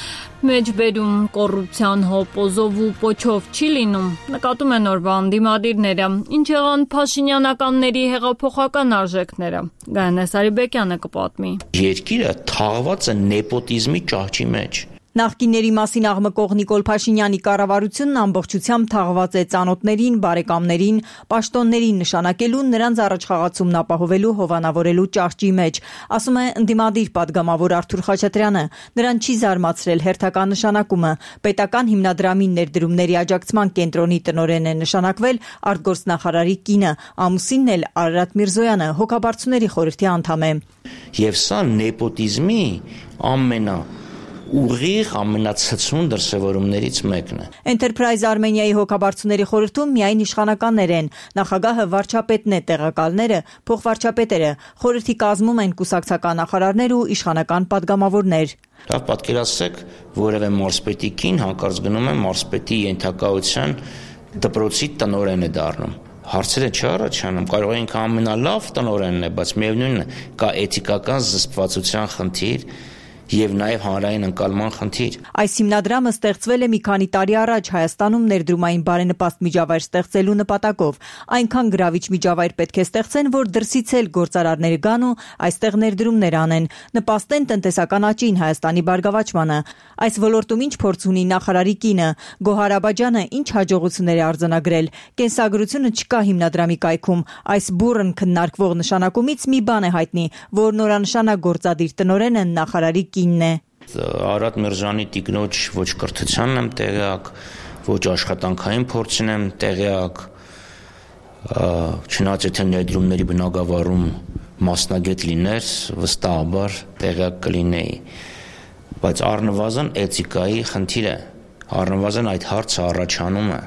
Speaker 1: Մեջբերում կոռուպցիան հոպոզով ու պոչով չի լինում, նկատում են օրվա ընդդիմադիրները։ Ինչ եղան Փաշինյանականների հեղափոխական արժեքները։ Գայանե Սարիբեկյանը կպատմի։
Speaker 14: Երկիրը թաղված է նեպոտիզմի ճահճի մեջ։
Speaker 7: Նախկինների մասին աղմկող Նիկոլ Փաշինյանի կառավարությունն ամբողջությամբ թաղված է ծանոթներին, բարեկամներին, պաշտոններին նշանակելու, նրանց առաջխաղացումն ապահովելու, հովանավորելու ճահճի մեջ, ասում է ընդդիմադիր պատգամավոր Արթուր Խաչատրյանը։ Նրան չի զարմացրել հերթական նշանակումը։ Պետական հիմնադրամի ներդրումների աջակցման կենտրոնի տնօրեն է նշանակվել արտգործնախարարի կինը, ամուսինն էլ Արարատ Միրզոյանը հոգաբարձությունների խորհրդի անդամ է։
Speaker 14: Եվ սա նեպոտիզմի ամենա ուղիղ ամենացցուն դրսևորումներից մեկն է։
Speaker 7: Enterprise Armenia-ի հոգաբարձությունների խորհրդում միայն իշխանականներ են։ Նախագահը վարչապետն է, տեղակալները փոխվարչապետերը։ Խորհրդի կազմում են կուսակցական նախարարներ ու իշխանական պատգամավորներ։
Speaker 14: Լավ, պատկերացրեք, որևէ մարզպետի կին հանկարծ գնում է մարզպետի ենթակայության դպրոցի տնօրեն է դառնում։ Հարցերը չառաջանում, կարող է ինքը ամենալավ տնօրենն է, բայց միևնույնն է, կա էթիկական զսպվածության խնդիր եւ նաեւ հանրային ընկալման խնդիր։
Speaker 7: Այս հիմնադրամը ստեղծվել է մի քանի տարի առաջ Հայաստանում ներդրումային բարենպաստ միջավայր ստեղծելու նպատակով։ Այնքան գրավիչ միջավայր պետք է ստեղծեն, որ դրսից էլ գործարարներ գան ու այստեղ ներդրումներ անեն, նպաստեն տնտեսական աճին, Հայաստանի բարգավաճմանը։ Այս ոլորտում ինչ փորձ ունի նախարարի կինը, Գոհար Աբաջյանը ինչ հաջողություններ է արձանագրել։ Կենսագրությունը չկա հիմնադրամի կայքում։ Այս բուրըն քննարկվող նշանակումից մի բան է հայտնի, որ նորանշանակ գործադիր տնօրենը նախարարի կինն է։
Speaker 14: Արարատ Միրզոյանի տիկնոջ ոչ կրթությանն եմ տեղյակ, ոչ աշխատանքային փորձին եմ տեղյակ, չնայած եթե ներդրումների բնագավառում մասնագետ լիներ, վստահաբար տեղյակ կլինեի, բայց առնվազն էթիկայի խնդիր է, առնվազն այդ հարցը առաջանում է։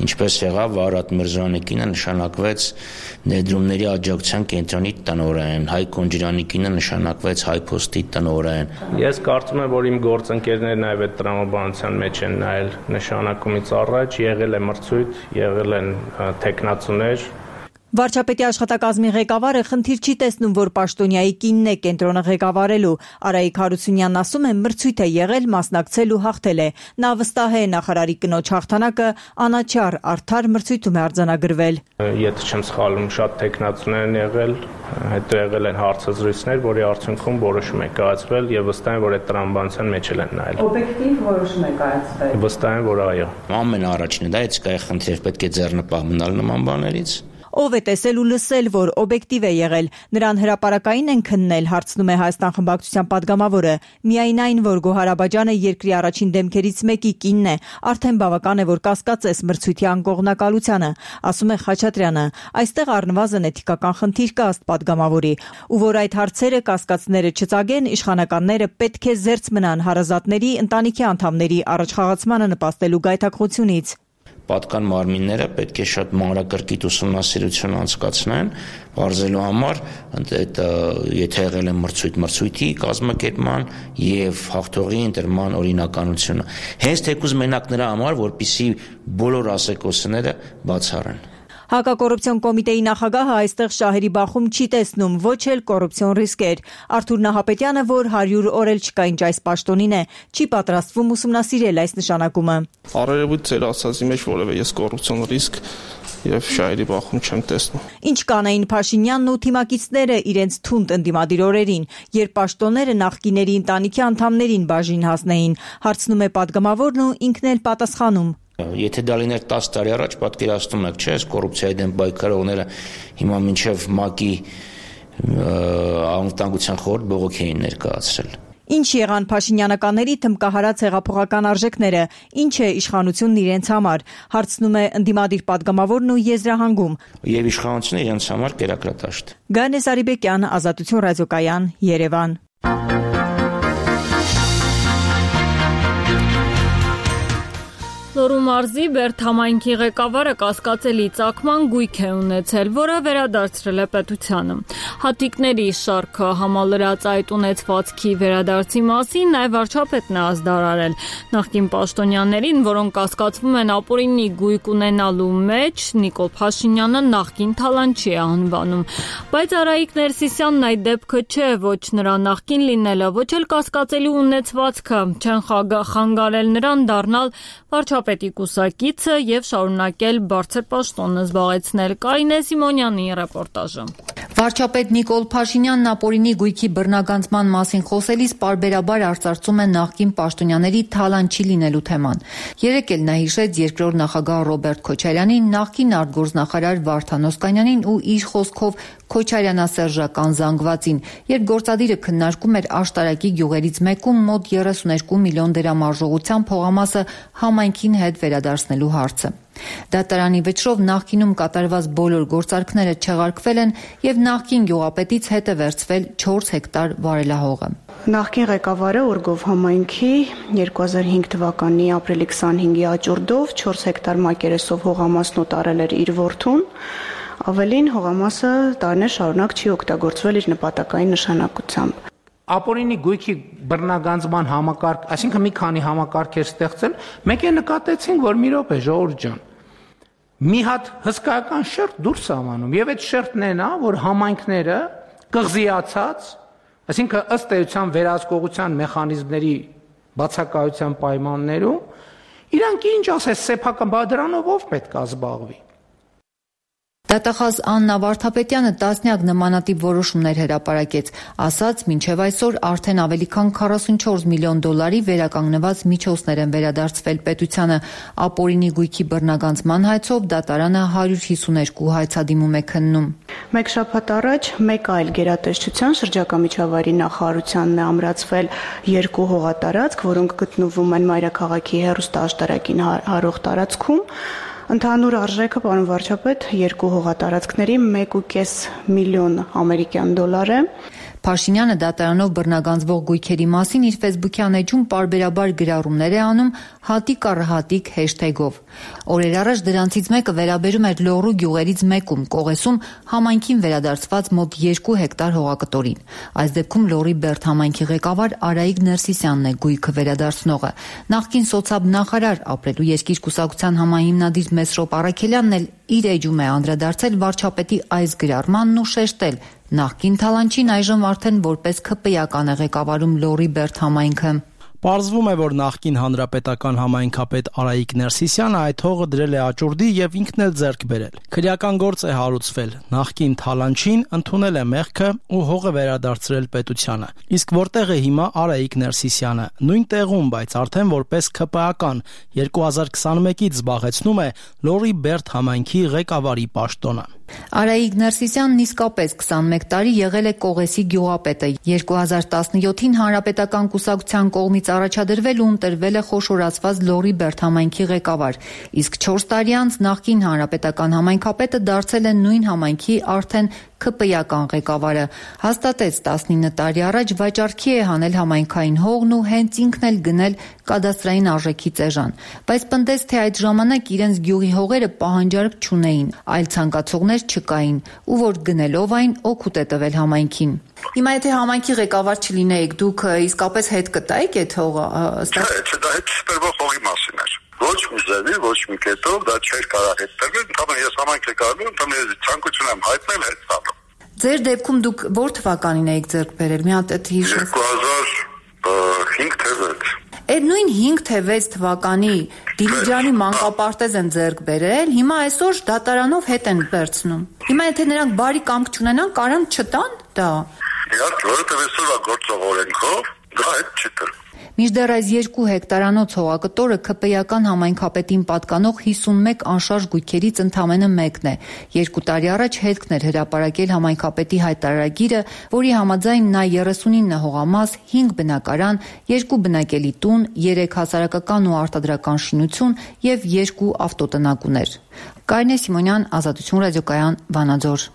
Speaker 14: Ինչպես եղավ Արարատ Միրզոյանի կինը նշանակվեց ներդրումների աջակցության կենտրոնի տնօրեն, Հայկ Կոնջիրյանի կինը նշանակվեց Հայփոստի տնօրեն։
Speaker 10: Ես կարծում եմ, որ իմ գործընկերները նաև այդ տրամաբանության մեջ են նայել նշանակումից առաջ, եղել է մրցույթ, եղել են թեկնածուներ։
Speaker 15: Վարչապետի աշխատակազմի ղեկավարը խնդիր չի տեսնում, որ պաշտոնյայի կինն է կենտրոնը ղեկավարելու։ Արայիկ Հարությունյանն ասում է, մրցույթ է եղել, մասնակցել ու հաղթել է։ Նա վստահ է նախարարի կնոջ հաղթանակը անաչառ, արդար մրցույթում է արձանագրվել։
Speaker 10: Եթե չեմ սխալվում, շատ տեխնացուներ են եղել, հետո եղել են հարցազրույցներ, որի արդյունքում որոշում է կայացվել եւ վստահ եմ, որ այդ տրամաբանության մեջ են նայել։
Speaker 15: Օբյեկտիվ որոշում է կայացվել։
Speaker 10: Վստահ եմ, որ այո։
Speaker 14: Ամենաառաջինը դա էս կայ խնդիր պետք է ձեռնպահ մնալ նման բաներից։
Speaker 15: Ով է տեսել ու լսել, որ օբյեկտիվ է եղել, նրան հրապարակային են քննել, հարցնում է Հայաստան խմբակցության падգամավորը։ Միայն այն, որ Գոհար Աբաջյանը երկրի առաջին դեմքերից մեկի կինն է, արդեն բավական է, որ կասկածես մրցույթի անկողնակալությանը, ասում է Խաչատրյանը։ Այստեղ առնվազն էթիկական խնդիր կա ըստ падգամավորի, ու որ այդ հարցերը կասկածները չծագեն, իշխանականները պետք է զերծ մնան հարազատների, ընտանիքի անդամների առաջխաղացմանը նպաստելու գայթակղությունից։
Speaker 14: Պատկան մարմինները պետք է շատ մանրակրկիտ ուսումնասիրություն անցկացնեն, բարձելու համար, այդ եթե եղել է մրցույթ, մրցույթի կազմակերպման եւ հաղթողի ընտրման օրինականությունը։ Հենց թեկուզ մենակ նրա համար, որպեսզի բոլոր ասեկոսները բացառեն։
Speaker 15: Հակակոռուպցիոն կոմիտեի նախագահը այստեղ շահերի բախում չի տեսնում, ոչ էլ կոռուպցիոն ռիսկեր։ Արթուր Նահապետյանը, որ հարյուր օր էլ չկա ինչ այս պաշտոնին է, չի պատրաստվում ուսումնասիրել այս նշանակումը։
Speaker 11: Առերևույթ ձեր ասածի մեջ որևէ ես կոռուպցիոն ռիսկ եւ շահերի բախում չեմ տեսնում։
Speaker 15: Ինչ կանեին Փաշինյանն ու թիմակիցները իրենց թունդ ընդդիմադիր օրերին, երբ պաշտոնները նախկիների ընտանիքի անդամներին բաժին հասնեին, հարցնում է падգամավորն ու ինքն էլ պատասխանում։
Speaker 14: Եթե դա լիներ տասը տարի առաջ, պատկերացնում եք, չէ՞, կոռուպցիայի դեմ պայքարողները հիմա մինչև ՄԱԿ-ի անվտանգության խորհուրդ բողոքի էին ներկայացրել։
Speaker 15: Ինչ եղան Փաշինյանականների թմկահարած հեղափոխական արժեքները, ինչ է իշխանությունն իրենց համար, հարցնում է ընդդիմադիր падգամավորն ու եզրահանգում։
Speaker 14: Եվ իշխանությունը իրենց համար կերակրատաշտ։
Speaker 15: Գանե Սարիբեկյան, Ազատություն ռադիոկայան, Երևան։
Speaker 1: Լոռու մարզի Բերդ համայնքի ղեկավարը կասկածելի ծագման գույք է ունեցել, որը վերադարձրել է պետությանը։ Հատիկների շարքը համալրած այդ ունեցվածքի վերադարձի մասին նաև վարչապետն է ազդարարել։ Նախկին պաշտոնյաներին, որոնք կասկածվում են ապօրինի գույք ունենալու մեջ, Նիկոլ Փաշինյանը նախկին թալանչի է անվանում։ Բայց Արայիկ Ներսիսյանն այդ դեպքը չէ, ոչ նրա նախկին լինելը, ոչ էլ կասկածելի ունեցվածքը չեն խանգարել նրան դառնալ վարչապետի կուսակիցը եւ շարունակել բարձր պաշտոնը զբաղեցնել։ Կարինե Սիմոնյանի ռեպորտաժը։
Speaker 16: Վարչապետ Նիկոլ Փաշինյանն ապօրինի գույքի բռնագանձման մասին խոսելիս պարբերաբար արծարծում է նախկին պաշտոնյաների թալանչի լինելու թեման։ Երեկ էլ նա հիշեց երկրորդ նախագահ Ռոբերտ Քոչարյանին, նախկին արտգործնախարար Վարդան Օսկանյանին ու իր խոսքով Քոչարյանասերժական զանգվածին, երբ գործադիրը քննարկում էր աշտարակի գյուղերից մեկում մոտ երեսուներկու միլիոն դրամ արժողությամբ փողամասը համայնքին հետ վերադարձնելու հարցը։ Դատարանի վճռով նախկինում կատարված բոլոր գործարքները չեղարկվել են եւ նախկին գյուղապետից հետ է վերցվել չորս հեկտար վարելահողը։
Speaker 12: Նախկին ղեկավարը Օրգով համայնքի երկու հազար հինգ թվականի ապրիլի քսանհինգի աճուրդով չորս հեկտար մակերեսով հողամասն ուտարել էր իր որդուն, ավելին հողամասը տարիներ շարունակ չի օգտագործվել իր նպատակային նշանակությամբ։
Speaker 17: Ապօրինի գույքի բռնագանձման համակարգ, այսինքն մի քանի համակարգ էր ստեղծել, մեկ է նկատեցինք, որ մի րոպե ժողովուրդ ջան, մի հատ հսկայական շերտ դուրս ամանում, եւ այդ շերտն է նա, որ համայնքները կղզիացած, այսինքն ըստ էության վերահսկողության մեխանիզմների բացակայության պայմաններում, իրանք ինչ ասես սեփական բادرանով ով պետք է զբաղվի։
Speaker 16: Դատախազ Աննա Վարդապետյանը տասնյակ նմանատիպ որոշումներ հրապարակեց, ասաց, մինչև այսօր արդեն ավելի քան քառասունչորս միլիոն դոլարի վերականգնված միջոցներ են վերադարձվել պետությանը։ Ապօրինի գույքի բռնագանձման հայցով դատարանը հարյուր հիսուներկու հայցադիմում է քննում։
Speaker 12: Մեկ շաբաթ առաջ մեկ այլ գերատեսչության շրջակա միջավայրի նախարարությանն է ամրացվել երկու հողատարածք, որոնք գտնվում են Մայրաքաղաքի հեռուստաաշտարակին հարող տարածքում։ Ընդհանուր արժեքը, պարոն վարչապետ, երկու հողատարածքների մեկ ու կես միլիոն ամերիկյան դոլար է։
Speaker 16: Փաշինյանը դատարանով բռնագանձվող գույքերի մասին իր ֆեյսբուքյան էջում պարբերաբար գրառումներ է անում հատիկ առ հատիկ հեշթեգով։ Օրեր առաջ դրանցից մեկը վերաբերում էր Լոռու գյուղերից մեկում Կողեսում համայնքին վերադարձված մոտ երկու հեկտար հողակտորին։ Այս դեպքում Լոռի Բերդ համայնքի ղեկավար Արայիկ Ներսիսյանն է գույքը վերադարձնողը։ Նախկին սոցիալ նախարար ապրելու երկիր կուսակցության համահիմնադիր Մեսրոպ Առաքելյանն էլ իր էջում է անդրադարձել վարչապետի այս գրառմանն ու շեշտել. նախկին Թալանչին այժմ արդեն որպես ՔՊ-ական է ղեկավարում Լոռի Բերդ համայնքը։
Speaker 8: Պարզվում է, որ նախկին հանրապետական համայնքապետ Արայիկ Ներսիսյանը այդ հողը դրել է աճուրդի եւ ինքն էլ ձեռք բերել։ Քրեական գործ է հարուցվել։ Նախկին Թալանչին ընդունել է մեղքը ու հողը վերադարձրել պետությանը։ Իսկ որտեղ է հիմա Արայիկ Ներսիսյանը։ Նույն տեղում, բայց արդեն որպես ՔՊ-ական երկու հազար քսաներկուից զբաղեցնում է Լոռի Բերդ համայնքի ղեկավարի պաշտոնը։
Speaker 16: Արայիկ Ներսիսյանն իսկապես քսանմեկ տարի եղել է Կողեսի գյուղապետը։ երկու հազար տասնյոթին հանրապետական կուսակցության կողմից առաջադրվել ու ընտրվել է խոշորացված Լոռի Բերդ համայնքի ղեկավար, իսկ չորս տարի անց նախկին հանրապետական համայնքապետը դարձել է նույն համայնքի արդեն ՔՊ-ական ղեկավարը։ Հաստատեց տասնինը տարի առաջ վաճառքի է հանել համայնքային հողն ու հենց ինքն էլ գնել կադաստրային արժեքի ծեժան, բայց պնդեց, թե այդ ժամանակ իրենց գյուղի հողերը պահանջարկ չունեին, այլ ցանկացողներ չկային, ու որ գնելով այն օգուտ է տվել համայնքին։ Հիմա եթե համայնքի ղեկավար չլինեիք, դուք իսկապես հետ կտայիք այդ հողը։
Speaker 18: Չէ, դա հետ սպերվող հողի մասին էր։ Ոչ մի ձևի, ոչ մի կետով դա չէր կարող հետ տրվել, ընդհանրապես ես համայնք ղեկավարում, ընդհանրապես ցանկություն եմ հայտնել հետ տալու։
Speaker 16: Ձեր դեպքում դուք ո՞ր թվականին եք ձեռք բերել։ Մի հատ այդ հիշեք։
Speaker 18: երկու հազար հինգ թե վեց։
Speaker 16: Այդ նույն հինգ թե վեց թվականի Դիլիջանի մանկապարտեզ են ձեռք բերել, հիմա այսօր դատարանով հետ են վերցնում։ Հիմա եթե նրանք բարի կամք չունենան, կարան չտան դա։
Speaker 18: Իհարկե, որովհետև այսօր գործող օրենքով դա հետ չի տրվում։
Speaker 16: Մինչդեռ այս երկու հեկտարանոց հողակտորը ՔՊ-ական համայնքապետին պատկանող հիսունմեկ անշարժ գույքերից ընդամենը մեկն է։ Երկու տարի առաջ հետքն էր հրապարակել համայնքապետի հայտարարագիրը, որի համաձայն նա երեսունինը հողամաս, հինգ բնակարան, երկու բնակելի տուն, երեք հասարակական ու արտադրական շինություն եւ երկու ավտոտնակ ուներ։ Կարինե Սիմոնյան, Ազատություն ռադիոկայան, Վանաձոր։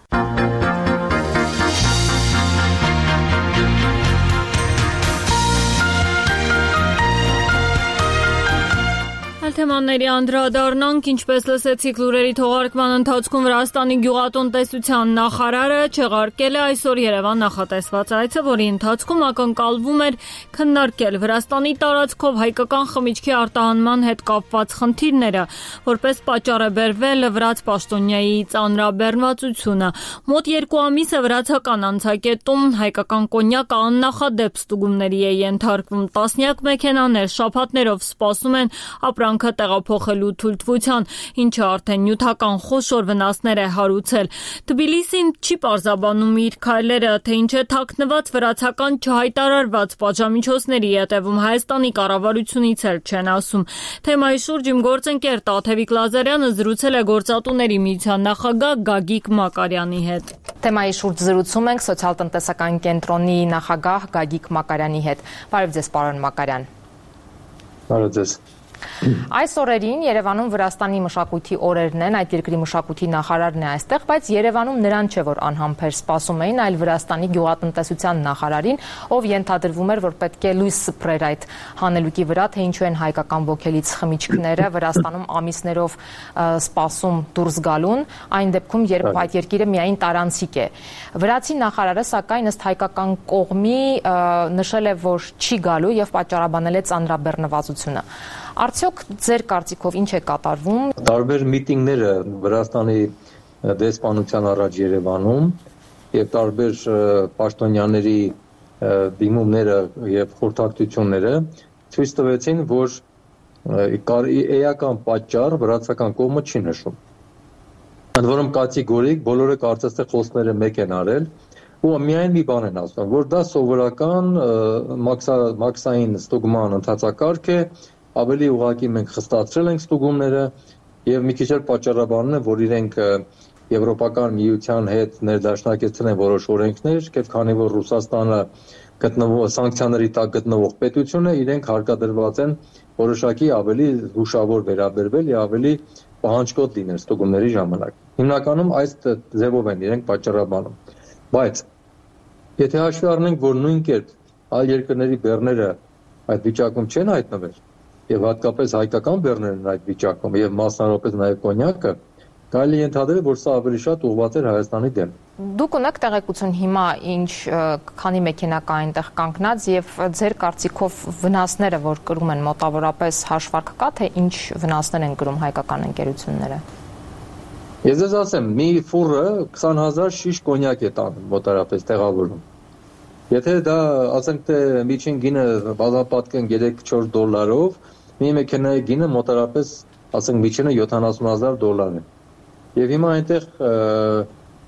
Speaker 1: Թեմաների անդրադառնանք, ինչպես լսեցիք լուրերի թողարկման ընթացքում Վրաստանի գյուղատնտեսության նախարարը չեղարկել է այսօր Երևան նախատեսված այցը, որի ընթացքում ակնկալվում էր քննարկել Վրաստանի տարածքով հայկական խմիչքի արտահանման հետ կապված խնդիրները, որպես պատճառ է բերվել վրաց պաշտոնյայի ծանրաբեռնվածությունը։ Մոտ երկու ամիս է վրացական անցակետում հայկական կոնյակը աննախադեպ ստուգումների է ենթարկվում։ Տասնյակ մեքենաներ շաբաթներով սպասում են ապրանք տեղափոխելու թույլտվության, ինչը արդեն նյութական խոշոր վնասներ է հարուցել։ Թբիլիսին չի պարզաբանում իր քայլերը, թե ինչ է թաքնված վրացական չհայտարարված պատժամիջոցների հետևում, Հայաստանի կառավարությունից էլ չեն ասում։ Թեմայի շուրջ իմ գործընկեր Տաթևիկ Լազարյանը զրուցել է Գործատուների միության նախագահ Գագիկ Մակարյանի հետ։
Speaker 19: Թեմայի շուրջ զրուցում ենք սոցիալ-տնտեսական կենտրոնի նախագահ Գագիկ Մակարյանի հետ։ Բարև ձեզ, պարոն Մակարյան։
Speaker 20: Բարև ձեզ։
Speaker 19: Այս օրերին Երևանում Վրաստանի մշակույթի օրերն են, այդ երկրի մշակույթի նախարարն է այստեղ, բայց Երևանում նրան չէ, որ անհամբեր սպասում էին, այլ Վրաստանի գյուղատնտեսության նախարարին, ով ենթադրվում էր, որ պետք է լույս սփռեր այդ հանելուկի վրա, թե ինչու են հայկական ոգելից խմիչքները Վրաստանում ամիսներով սպասում դուրս գալուն, այն դեպքում, երբ այդ երկիրը միայն տարանցիկ է։ Վրացի նախարարը, սակայն ըստ հայկական կողմի նշել է, որ չի գալու եւ պատճառաբանել է ծանրաբեռնվածությունը։ Արդյոք ձեր կարծիքով ինչ է կատարվում։
Speaker 20: Տարբեր միտինգները Վրաստանի դեսպանության առաջ Երևանում եւ տարբեր պաշտոնյաների դիմումները եւ խորհրդակցությունները ցույց տվեցին, որ էական պատճառ վրացական կողմը չի նշում։ Ընդ որում կատեգորիկ բոլորը կարծես թե խոսքները մեկ են արել ու միայն մի բան են ասում, որ դա սովորական մաքսային ստուգման ընթացակարգ է, ավելի ուղղակի մենք խստացրել ենք ստուգումները եւ մի քիչ էլ պատճառաբանում են, որ իրենք Եվրոպական միության հետ ներդաշնակեցրել են որոշ օրենքներ, եւ քանի որ Ռուսաստանը գտնվող սանկցիաների տակ գտնվող պետություն է, իրենք հարկադրված են որոշակի ավելի զուշավոր վերաբերվել եւ ավելի պահանջկոտ լինել ստուգումների ժամանակ։ Հիմնականում այս ձևով են իրենք պատճառաբանում։ Բայց եթե հաշվի առնենք, որ նույն կերպ այլ երկրների բեռները այդ վիճակում չեն հայտնվել, եւ հատկապես հայկական բեռներն այդ վիճակում եւ մասնավորապես նաեւ կոնյակը, կարելի է ենթադրել, որ սա ավելի շատ ուղղված էր Հայաստանի դեմ։
Speaker 19: Դուք ունեք տեղեկություն հիմա ինչ քանի մեքենա կա այնտեղ կանգնած եւ ձեր կարծիքով վնասները, որ կրում են մոտավորապես հաշվարկ կա, թե ինչ վնասներ են կրում հայկական ընկերությունները։
Speaker 20: Ես ձեզ ասեմ, մի ֆուրը քսան հազար շիշ կոնյակ է տանում մոտարապես տեղավորում։ Եթե դա ասենք թե միջին գինը բազմապատկեն երեք-չորս դոլարով, մի մեքենայի գինը մոտարապես ասենք միջինը յոթանասուն հազար դոլար է։ Եվ հիմա այնտեղ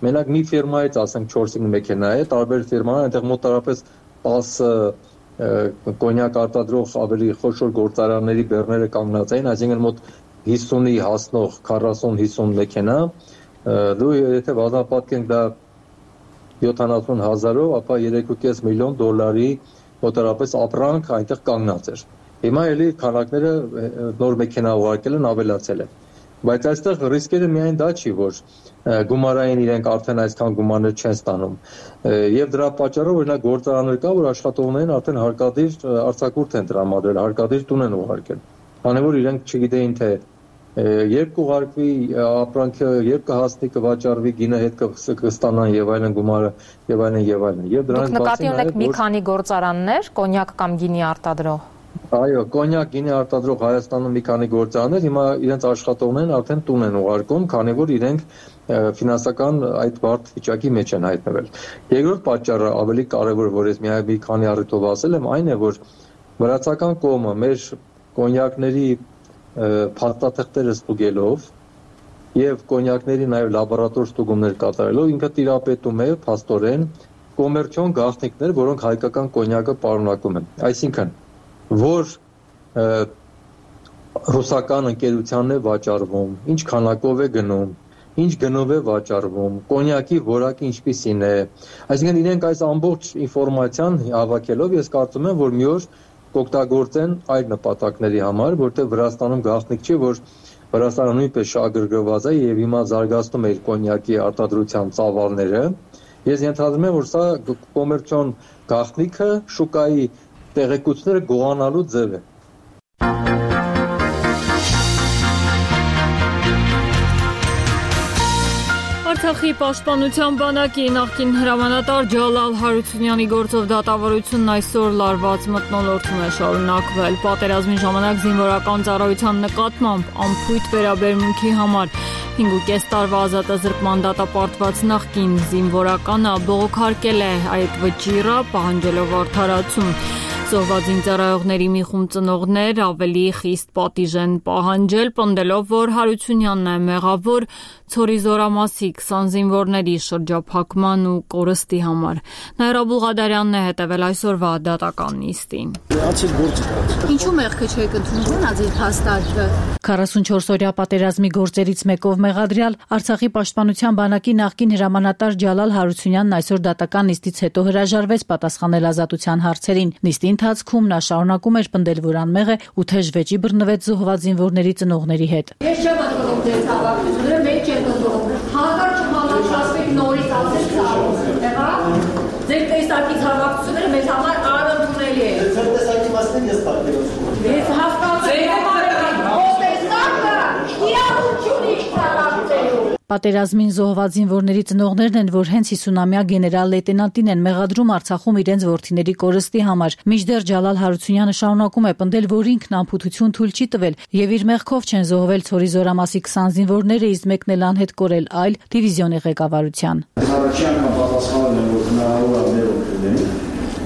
Speaker 20: մենակ մի ֆիրմայից ասենք չորս-հինգ մեքենա է, տարբեր ֆիրմաներ այնտեղ մոտարապես տասը կոնյակ արտադրող ավելի խոշոր գործարանների բեռները կանգնած էին, այսինքն մոտ հիսունի հասնող քառասուն-հիսուն մեքենա, դու եթե բազմապատկենք դա յոթանասուն հազարով, ապա երեք ու կես միլիոն դոլարի մոտարապես ապրանք այնտեղ կանգնած էր։ Հիմա էլի քանակները նոր մեքենա ուղարկելն ավելացել է։ Բայց այստեղ ռիսկերը միայն դա չի, որ գումարային իրենք արդեն այսքան գումարներ չեն ստանում։ Եվ դրա պատճառով օրինակ գործարաններ կա, որ աշխատողներին արդեն հարկադիր արձակուրդ են տրամադրել, հարկադիր տուն են ուղարկել։ Քանի որ իրենք չգիտեին թե երբ կուղարկվի ապրանքը, երբ կհասնի, կվաճառվի, գինը հետ կստանան եւ այլն գումարը եւ այլն եւ այլն։ Եվ դրանից բացի
Speaker 19: նկատի ունեք մի քանի գործարաններ, կոնյակ կամ գինի արտադրող։
Speaker 20: Այո, կոնյակ գինի արտադրող Հայաստանում մի քանի գործարաններ հիմա իրենց աշխատողներն արդեն տուն են ուղարկում, քանի որ իրենք ֆինանսական այդ բարդ վիճակի մեջ են հայտնվել։ Երկրորդ պատճառը ավելի կարևոր, որ ես միայն մի քանի առիթով ասել եմ, այն է, որ վրացական կողմը մեր կոնյակների փաստաթղթերը ստուգելով եւ կոնյակների նաեւ լաբորատոր ստուգումներ կատարելով ինքը տիրապետում է փաստորեն կոմերցիոն գաղտնիքներ, որոնք հայկական կոնյակը պարունակում են։ Այսինքն, որ ռուսական ընկերությանն է վաճառվում, ինչ քանակով է գնում, ինչ գնով է վաճառվում, կոնյակի որակը ինչպիսին է։ Այսինքն իրենք այս ամբողջ ինֆորմացիան հավաքելով ես կարծում եմ, որ մի օր կօգտագործեն այլ նպատակների համար, որտեղ Վրաստանում գաղտնիք չի, որ Վրաստանը նույնպես շահագրգռված է եւ հիմա զարգացնում է իր կոնյակի արտադրության ծավալները։ Ես ենթադրում եմ, որ սա կոմերցիոն գաղտնիքը շուկայի տեղեկությունները գողանալու ձև է։
Speaker 1: Արցախի պաշտպանության բանակի նախկին հրամանատար Ջալալ Հարությունյանի գործով դատավարությունն այսօր լարված մթնոլորտում է շարունակվել։ Պատերազմի ժամանակ զինվորական ծառայության նկատմամբ անփույթ վերաբերմունքի համար հինգ ու կես տարվա ազատազրկման դատապարտված նախկին զինվորականը բողոքարկել է այդ վճիռը, պահանջելով արդարացում։ Զոհված զինծառայողների մի խումբ ծնողներ ավելի խիստ պատիժ են պահանջել, պնդելով, որ Հարությունյանն է մեղավոր ցորի զորամասի քսան զինվորների շրջափակման ու կորստի համար։ Նաիրա Բուլղադարյանն է հետևել այսօրվա դատական նիստին։
Speaker 21: Ինչու մեղքը չեք ընդունում, ազիլ հաստատվը։
Speaker 22: քառասունչորս-օրյա պատերազմի գործերից մեկով մեղադրյալ Արցախի պաշտպանության բանակի նախկին հրամանատար Ջալալ Հարությունյանն այսօր դատական նիստից հետո հրաժարվեց պատասխանել ազատության հարցերին։ Նիստի ընթացքում նա շարունակում էր պնդել, որ անմեղ է ու թեժ վեճի բռնվեց զոհված զինվորների ծնողների հետ։
Speaker 21: Ես չեմ ընդունում ձեր հավաքությունները, մեկ չեմ ընդունում։ Հակառակ չհամաչրացվեք նորից ասել ցավով։ Եղա։ Ձեր տեսակից հավաքությունները մեզ համար անընդունելի է։ Ձեր տեսակի մասն ես պատկերացնում։ Ես հասկացել եմ, ով տեսակը իրավունք ունի քաղաքացու։
Speaker 22: Պատերազմին զոհված զինվորների ծնողներն են, որ հենց հիսունամյա գեներալ լեյտենանտին են մեղադրում Արցախում իրենց որդիների կորստի համար։ Մինչդեռ Ջալալ Հարությունյանը շարունակում է պնդել, որ ինքն անփութություն թույլ չի տվել եւ իր մեղքով չեն զոհվել ցորի զորամասի քսան զինվորները, իսկ մեկն էլ անհետ կորել այլ դիվիզիոնի ղեկավարության։
Speaker 23: Առաջին անգամ պատասխանել եմ, որ հնարավոր է մեր օգնել։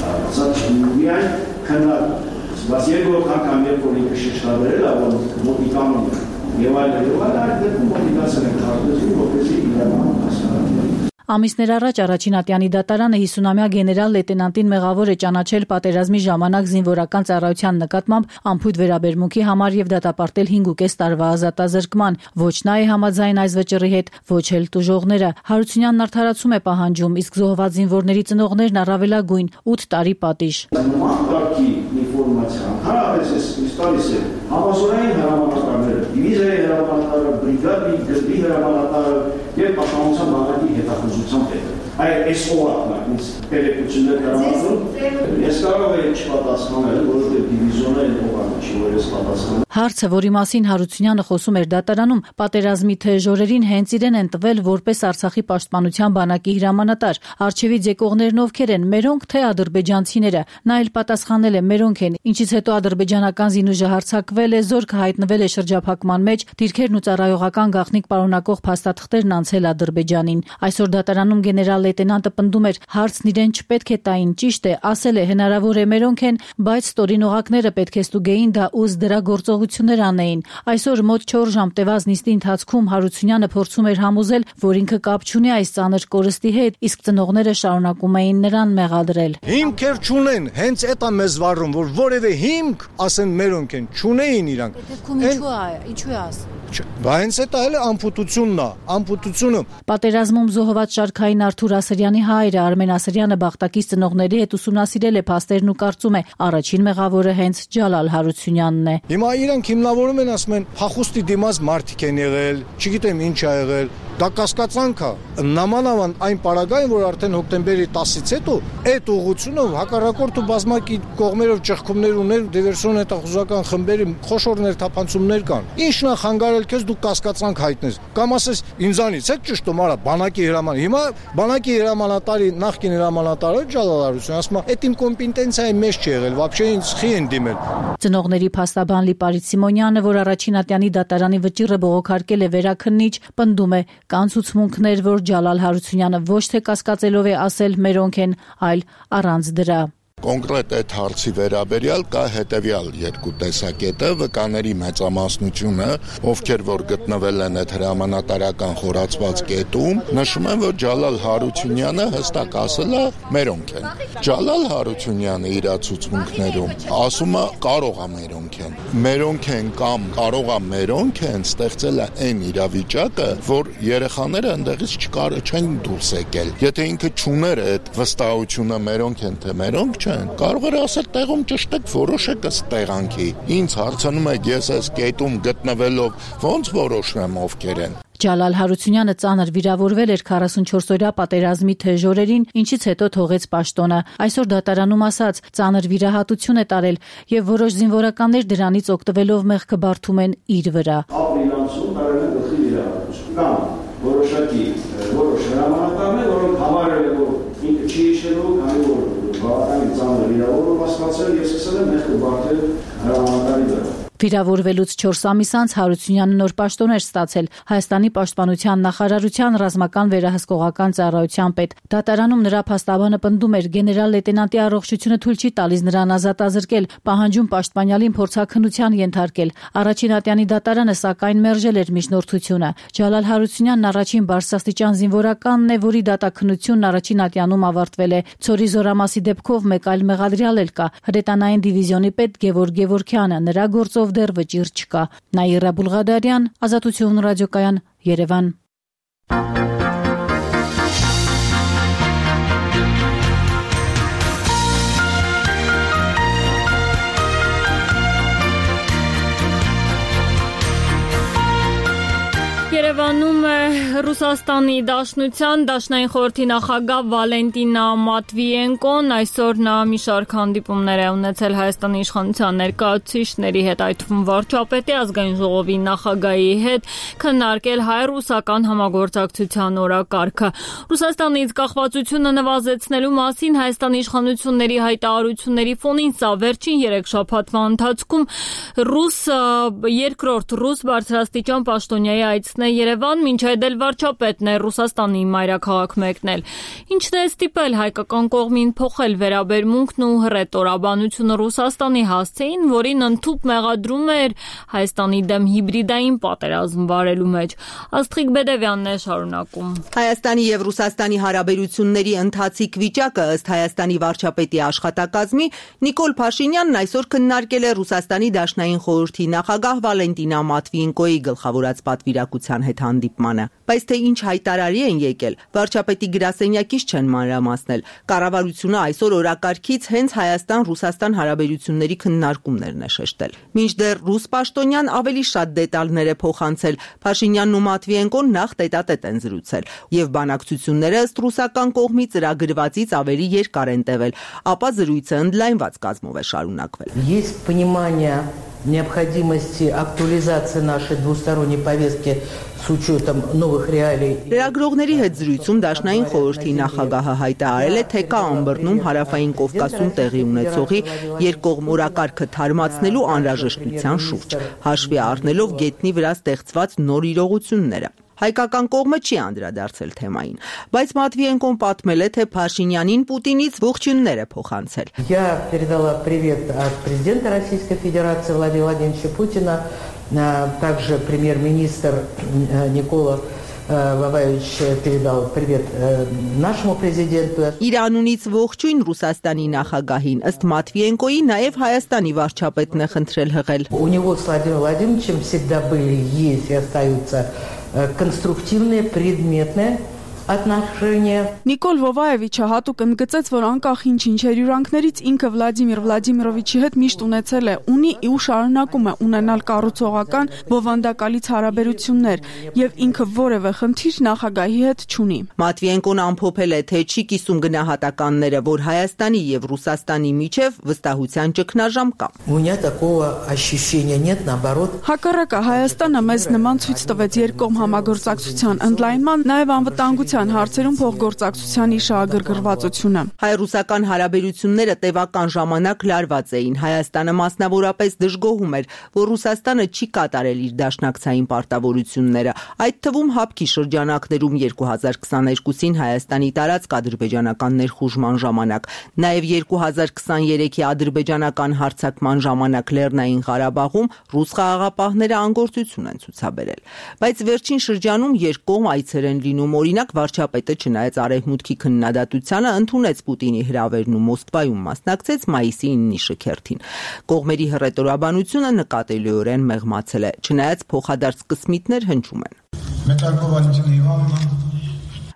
Speaker 23: Ասած միայն քննարկել։ Բայց երկրորդ անգամ երբ որ ինքը շեշտադրել է, որ մոտիկանում է եւ այլն եւ այլն այդ դեպքում մոտիվացիան է քաղաքացու, որպեսզի իրավանում հասկանան։
Speaker 22: Ամիսներ առաջ առաջին ատյանի դատարանը հիսունամյա գեներալ լեյտենանտին մեղավոր է ճանաչել պատերազմի ժամանակ զինվորական ծառայության նկատմամբ անփույթ վերաբերմունքի համար եւ դատապարտել հինգ ու կես տարվա ազատազրկման։ Ոչ նա է համաձայն այս վճռի հետ, ոչ էլ տուժողները։ Հարությունյանն արդարացում է պահանջում, իսկ զոհված զինվորների ծնողներն առավելագույն ութ տարի պատիժ։
Speaker 23: Համասուրային հրամանատարները, դիվիզիայի հրամանատարը, բրիգադի, գծի հրամանատարը եւ պաշտպանության բանակի հետախուզությամբ հետ։ Այդ այս օղակն ինձ տեղեկություններ կրամատում, ես կարող եմ չպատասխանել, որովհետև դիվիզիոնը այդ օղակը չի, որ ես պատասխանել։
Speaker 22: Հարցը, որի մասին Հարությունյանը խոսում էր դատարանում, պատերազմի թեժ օրերին հենց իրեն են տվել որպես Արցախի պաշտպանության բանակի հրամանատար։ Արչևից եկողներն ովքեր են, մերոնք թե ադրբեջանցիները։ Նա էլ պատասխանել է՝ մերոնք են, ինչից հետո ադրբեջանական զինուժը հարձակվել է, զորքը հայտնվել է շրջափակման մեջ, դիրքերն ու ծառայողական գաղտնիք պարունակող փաստաթղթերն անցել Ադրբեջանին։ Այսօր դատարանում գեներալ լեյտենանտը պնդում էր, հարցն իրեն չպետք է տային, ճիշտ է, ասել է հնարավոր է մերոնք են, բայց ստորին օղակները պետք է ստուգեին դա ուզ դրա գործողություններ անեին։ Այսօր մոտ չորս ժամ տևած նիստի ընթացքում Հարությունյանը փորձում էր համոզել, որ ինքը կապ չունի այս ծանր կորստի հետ, իսկ ծնողները շարունակում էին նրան մեղադրել։
Speaker 2: Հիմքեր չունեն, հենց էդ է մեզ վարում, որ որևէ հիմք ասեն մերոնք են, չունեին իրանք։
Speaker 22: Ինչու է, ինչու է ասում։
Speaker 2: Բա հենց էդ էլ ամփոփությունն է, ամփոփությունը։
Speaker 22: Պատերազմում զոհված շարքային Արթուր Ասրյանի հայրը Արմեն Ասրյանը Բախտակից ծնողների հետ ուսումնասիրել է փաստերն ու կարծում է, առաջին մեղավորը հենց Ջալալ Հարությունյանն է։
Speaker 2: Հիմա իրանք հիմնավորում են, ասում են, փախուստի դիմաց մարդիկ են եղել, չգիտեմ ինչ ա եղել։ Դա կասկածանք է։ Նամանավան այն պարագային, որ արդեն հոկտեմբերի տասից հետո այդ ուղղությունով հակառակորդը բազմակի կողմերով ճեղքումներ ուներ, դիվերսիոն հետախուզական խմբերի խոշոր ներթափանցումներ կան։ Ինչն է խանգարել քեզ դու կասկածանք հայտնես։ Կամ ասես ինձանից է ճշտում, արա բանակի հրաման։ Հիմա բանակի հրամանատարի նախկին հրամանատարը Ջալալ Հարությունյանը ասում է, «Էդ իմ կոմպետենցիայի մեջ չի եղել, вообще ինձ խի են դիմել»։
Speaker 22: Ծնողների փաստաբան Լիպարիտ Սիմոնյանը, որ առաջին ատյանի դատարանի վճիռը բողոքարկել է վերաքննիչ, պնդում է, կան ցուցմունքներ, որ Ջալալ Հարությունյանը ոչ թե կասկածելով է ասել մերոնք են, այլ առանց դրա։
Speaker 3: Կոնկրետ այդ հարցի վերաբերյալ կա հետևյալ երկու տեսակետը, վկաների մեծամասնությունը, ովքեր որ գտնվել են այդ հրամանատարական խորացված կետում, նշում են, որ Ջալալ Հարությունյանը հստակ ասել է մերոնք են։ Ջալալ Հարությունյանը իր ցուցմունքներում ասում է կարող է մերոնք են։ Մերոնք են կամ կարող է մերոնք են ստեղծել է այն իրավիճակը, որ երեխաները այնտեղից չկար չեն դուրս եկել։ Եթե ինքը չուներ այդ վստահությունը մերոնք են թե մերոնք չեն, կարող էր ասել տեղում ճշտեք որոշեք ըստ տեղանքի։ Ինձ հարցնում եք ես այս կետում գտնվելով ոնց որոշեմ ովքեր են։
Speaker 22: Ջալալ Հարությունյանը ծանր վիրավորվել էր քառասունչորսօրյա պատերազմի թեժ օրերին, ինչից հետո թողեց պաշտոնը։ Այսօր դատարանում ասաց, ծանր վիրահատություն է տարել եւ որոշ զինվորականներ դրանից օգտվելով մեղքը բարդում են իր վրա։
Speaker 23: Ապրիլի ամսում տարել են գլխի վիրահատություն։ Կամ որոշակի որոշ հրամանատարներ, որոնք համարել են, որ ինքը չի հիշելու, քանի որ բավականին ծանր վիրավորում հասկացել եւ սկսել են մեղքը բարդել հրամանատարի վրա։
Speaker 22: Վիրավորվելուց չորս ամիս անց Հարությունյանը նոր պաշտոն էր ստացել Հայաստանի պաշտպանության նախարարության ռազմական վերահսկողական ծառայության պետ։ Դատարանում նրա փաստաբանը պնդում էր գեներալ լեյտենանտի առողջությունը թույլ չի տալիս նրան ազատազրկել, պահանջում պաշտպանյալին փորձաքննության ենթարկել։ Առաջին ատյանի դատարանը սակայն մերժել էր միջնորդությունը։ Ջալալ Հարությունյանն առաջին բարձրաստիճան զինվորականն է, որի դատաքննությունն առաջին ատյանում ավարտվել է։ Ցորի զորամասի դեպքով մեկ այլ մեղադրյալ էլ կա՝ հրետանային դիվիզիոնի պետ Գևորգ Գևորգյանը։ Նրա գործով դեռ վճիռ չկա։ Նաիրա Բուլղադարյան, Ազատություն ռադիոկայան, Երևան։
Speaker 1: Երևանում է Ռուսաստանի Դաշնության Դաշնային խորհրդի նախագահ Վալենտինա Մատվիենկոն, այսօր նա մի շարք հանդիպումներ է ունեցել Հայաստանի իշխանության ներկայացուցիչների հետ, այդ թվում վարչապետի, ազգային ժողովի նախագահի հետ, քննարկել հայ-ռուսական համագործակցության օրակարգը։ Ռուսաստանից կախվածությունը նվազեցնելու մասին Հայաստանի իշխանությունների հայտարարությունների ֆոնին սա վերջին երեք շաբաթվա ընթացքում ռուս երկրորդ ռուս բարձրաստիճան պաշտոնյայի այցն է Երևան, մինչ այդ էլ վարչապետն է Ռուսաստանի մայրաքաղաք մեկնել։ Ինչն է ստիպել հայկական կողմին փոխել վերաբերմունքն ու հռետորաբանությունը Ռուսաստանի հասցեին, որին ընդհուպ մեղադրում էր Հայաստանի դեմ հիբրիդային պատերազմ վարելու մեջ։ Աստղիկ Բեդևյանն է շարունակում։
Speaker 4: Հայաստանի եւ Ռուսաստանի հարաբերությունների ընթացիկ վիճակը ըստ Հայաստանի վարչապետի աշխատակազմի Նիկոլ Փաշինյանն այսօր քննարկել է Ռուսաստանի Դաշնային խորհրդի նախագահ Վալենտինա Մատվիենկոյի գլխավորած պատվիրակության հետ հանդիպմանը։ Բայց թե ինչ հայտարարի են եկել, վարչապետի գրասենյակից չեն մանրամասնել։ Կառավարությունը այսօր օրակարգից հենց Հայաստան-Ռուսաստան հարաբերությունների քննարկումներն է շեշտել։ Մինչդեռ ռուս պաշտոնյան ավելի շատ դետալներ է փոխանցել։ Փաշինյանն ու Մատվիենկոն նախ տետատետ են զրուցել, եւ բանակցությունները ըստ ռուսական կողմի ծրագրվածից ավելի երկար են տևել, ապա զրույցը ընդլայնված կազմով է շարունակվել։
Speaker 5: Есть понимание необходимости актуализации нашей двусторонней повестки с учетом новых реалий.
Speaker 4: Լրագրողների հետ զրույցում Դաշնային խորհրդի նախագահը հայտարարել է, թե կա Ամբռնում հարավային Կովկասում տեղի ունեցողի երկկողմ օրակարգը թարմացնելու անհրաժեշտության շուրջ, հաշվի առնելով գետնի վրա ստեղծված նոր իրողությունները։ Հայկական կողմը չի անդրադարձել թեմային, բայց Մատվիենկոն պատմել է, թե Փաշինյանին Պուտինից ողջույններ է փոխանցել։
Speaker 5: Я передала привет от президента Российской Федерации Владимира Владимировича Путина, также премьер-министр Никола Վավայիչ передал привет нашему президенту.
Speaker 4: Իրանունից ողջույն Ռուսաստանի նախագահին, ըստ Մատվիենկոյի նաև Հայաստանի վարչապետն է խնդրել հղել։
Speaker 5: У него с Владимиром Владимировичем всегда были, есть и остаются конструктивные, предметные отношения.
Speaker 6: Նիկոլ Վովայևիչը հատուկ ընդգծեց, որ անկախ ինչ-ինչ հյուրընկներից ինքը Վլադիմիր Վլադիմիրովիչի հետ միշտ ունեցել է, ունի ու շարունակում է ունենալ կառուցողական բովանդակալից հարաբերություններ եւ ինքը որևէ խնդիր նախագահի հետ չունի։
Speaker 4: Մատվիենկոն ամփոփել է, թե չի կիսում գնահատականները, որ Հայաստանի եւ Ռուսաստանի միջև վստահության ճգնաժամ կա։
Speaker 5: У меня такого ощущения нет, наоборот.
Speaker 6: Հակառակը Հայաստանը մեզ նման ցույց տվեց երկկողմ համագործակցության ընդլայնման, նաեւ անվտանգության հարցերում փոխգործակցության իշահագրգռվածությունը։
Speaker 4: Հայ-ռուսական հարաբերությունները տևական ժամանակ լարված էին։ Հայաստանը մասնավորապես դժգոհում էր, որ Ռուսաստանը չի կատարել իր դաշնակցային պարտավորությունները, այդ թվում հապկի շրջանակներում երկու հազար քսաներկուսին Հայաստանի տարածք ադրբեջանական ներխուժման ժամանակ, նաև երկու հազար քսաներեքի ադրբեջանական հարձակման ժամանակ Լեռնային Ղարաբաղում ռուս խաղաղապահները անգործություն են ցուցաբերել։ Բայց վերջին շրջանում երկկողմ այցեր են լինում, օրինակ վարչապետը չնայած արևմուտքի քննադատությանը ընդունեց Պուտինի հրավերն ու Մոսկվայում մասնակցեց մայիսի ինը շքերթին։ Կողմերի հռետորաբանությունը նկատելիորեն մեղմացել է, չնայած փոխադարձ կսմիթներ հնչում են։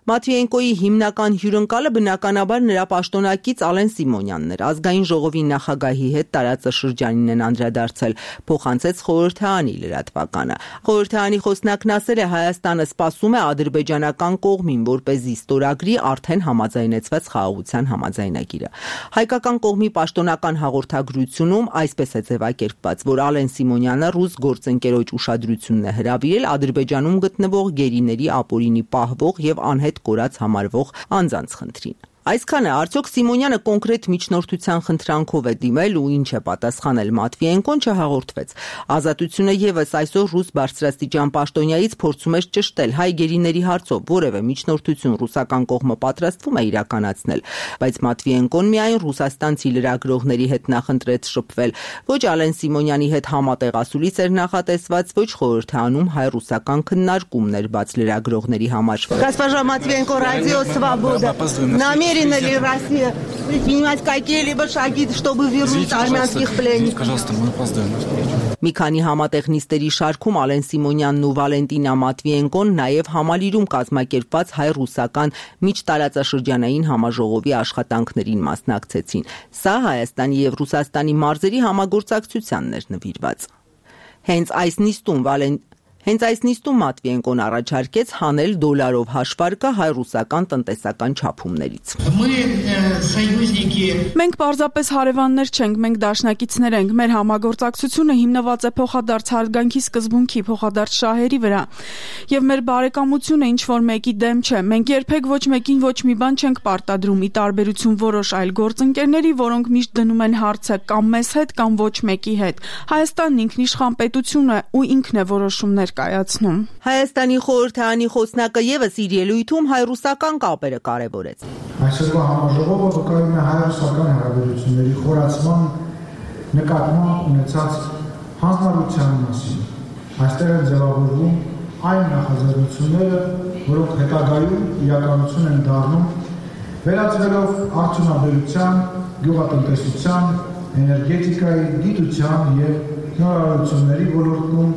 Speaker 4: Մատվիենկոյի հիմնական հյուրընկալը բնականաբար նրա պաշտոնակից Ալեն Սիմոնյանն էր, ազգային ժողովի նախագահի հետ տարածաշրջանին են անդրադարձել, փոխանցեց խորհրդարանի լրատվականը։ Խորհրդարանի խոսնակն ասել է, Հայաստանը սպասում է ադրբեջանական կողմին, որպեսզի ստորագրի արդեն համաձայնեցված խաղաղության համաձայնագիրը։ Հայկական կողմի պաշտոնական հաղորդագրությունում այսպես է ձևակերպված, որ Ալեն Սիմոնյանը ռուս գործընկերոջ ուշադրությունն է հրավիրել Ադրբեջանում գտնվող գերիների ապօրինի պահվող եւ անհետ կորած համարվող անձանց խնդրին։ Այսքանը արդյոք Սիմոնյանը կոնկրետ միջնորդության խնդրանքով է դիմել ու ինչ է պատասխանել Մատվիենկոն չհաղորդվեց։ Ազատությունը եւս այսօր ռուս բարձրաստիճան պաշտոնյայից փորձում է ճշտել հայ գերիների հարցով որևէ միջնորդություն ռուսական կողմը պատրաստվում է իրականացնել, բայց Մատվիենկոն միայն ռուսաստանցի լրագրողների հետ նախընտրեց շփվել, ոչ Ալեն Սիմոնյանի հետ համատեղ ասուլիս էր նախատեսված, ոչ խորհրդանում հայ-ռուսական քննարկումներ բաց лирագրողների համար։
Speaker 9: Госпожа Матвиенко, Радио Свобода. Намерена ли Россия предпринимать какие-либо шаги, чтобы вернуть армянских пленников?
Speaker 24: Пожалуйста, мы опоздаем на встречу.
Speaker 4: Մի քանի համատեղ նիստերի շարքում Ալեն Սիմոնյանն ու Վալենտինա Մատվիենկոն նաև համալիրում կազմակերպված հայ-ռուսական միջտարածաշրջանային համաժողովի աշխատանքներին մասնակցեցին։ Սա Հայաստանի եւ Ռուսաստանի մարզերի համագործակցությանն էր նվիրված։ Հենց այս նիստում Վալեն Հենց այս նիստում Մատվիենկոն առաջարկեց հանել դոլարով հաշվարկը հայ-ռուսական տնտեսական չափումներից։
Speaker 6: Մենք պարզապես հարևաններ չենք, մենք դաշնակիցներ ենք։ Մեր համագործակցությունը հիմնված է փոխադարձ հարգանքի սկզբունքի, փոխադարձ շահերի վրա։ Եվ մեր բարեկամությունը ինչ որ մեկի դեմ չէ։ Մենք երբեք ոչ մեկին ոչ մի բան չենք պարտադրում, ի տարբերություն որոշ այլ գործընկերների, որոնք միշտ դնում են հարցը կամ մեզ հետ, կամ ոչ մեկի հետ։ Հայաստանն ինքնիշխան պետություն է ու ինքն է որոշումներ կայացնում։
Speaker 4: Հայաստանի խորհրդարանի խոսնակը եւս իր ելույթում հայ-ռուսական կապերը կարևորեց։
Speaker 25: Այսօրվա համաժողովը վկայում է հայ-ռուսական հարաբերությունների խորացման նկատմամբ ունեցած հանձնարարության մասին։ Այստեղ են ձևավորվում այն նախաձեռնությունները, որոնք հետագայում իրականություն են դառնում, վերածվելով արդյունաբերության, գյուղատնտեսության, էներգետիկայի, գիտության եւ նորարարությունների ոլորտում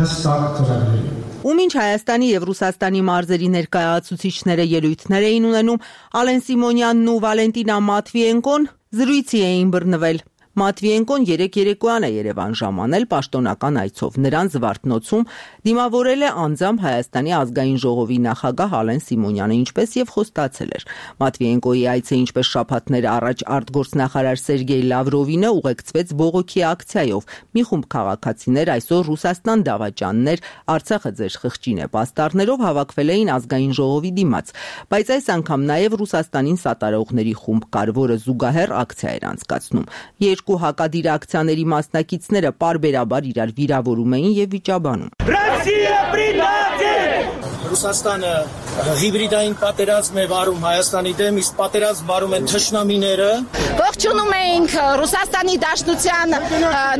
Speaker 25: հստակ ծրագրերի։
Speaker 4: Ու մինչ Հայաստանի եւ Ռուսաստանի մարզերի ներկայացուցիչները ելույթներ էին ունենում, Ալեն Սիմոնյանն ու Վալենտինա Մատվիենկոն զրույցի էին բռնվել։ Մատվիենկոն երեք երեկոյան է Երևան ժամանել պաշտոնական այցով։ Նրան Զվարթնոցում դիմավորել է անձամբ Հայաստանի ազգային ժողովի նախագահ Ալեն Սիմոնյանը, ինչպես եւ խոստացել էր։ Մատվիենկոյի այցը, ինչպես շաբաթներ առաջ արտգործնախարար Սերգեյ Լավրովինը ուղեկցվեց բողոքի ակցիայով։ Մի խումբ քաղաքացիներ այսօր Ռուսաստան դավաճաններ, Արցախը ձեր խղճին է պաստառներով հավաքվել էին ազգային ժողովի դիմաց, բայց այս անգամ նաեւ Ռուսաստանին սատարողների խումբ կար, որը զուգահեռ ակցիա էր անցկացնում։ Երկու հակադիր ակցիաների մասնակիցները պարբերաբար իրար վիրավորում էին եւ վիճաբանում։
Speaker 8: Ռուսաստանը հիբրիդային պատերազմ է վարում Հայաստանի դեմ, իսկ պատերազմ վարում են թշնամիները։
Speaker 21: Ողջունում ենք Ռուսաստանի Դաշնության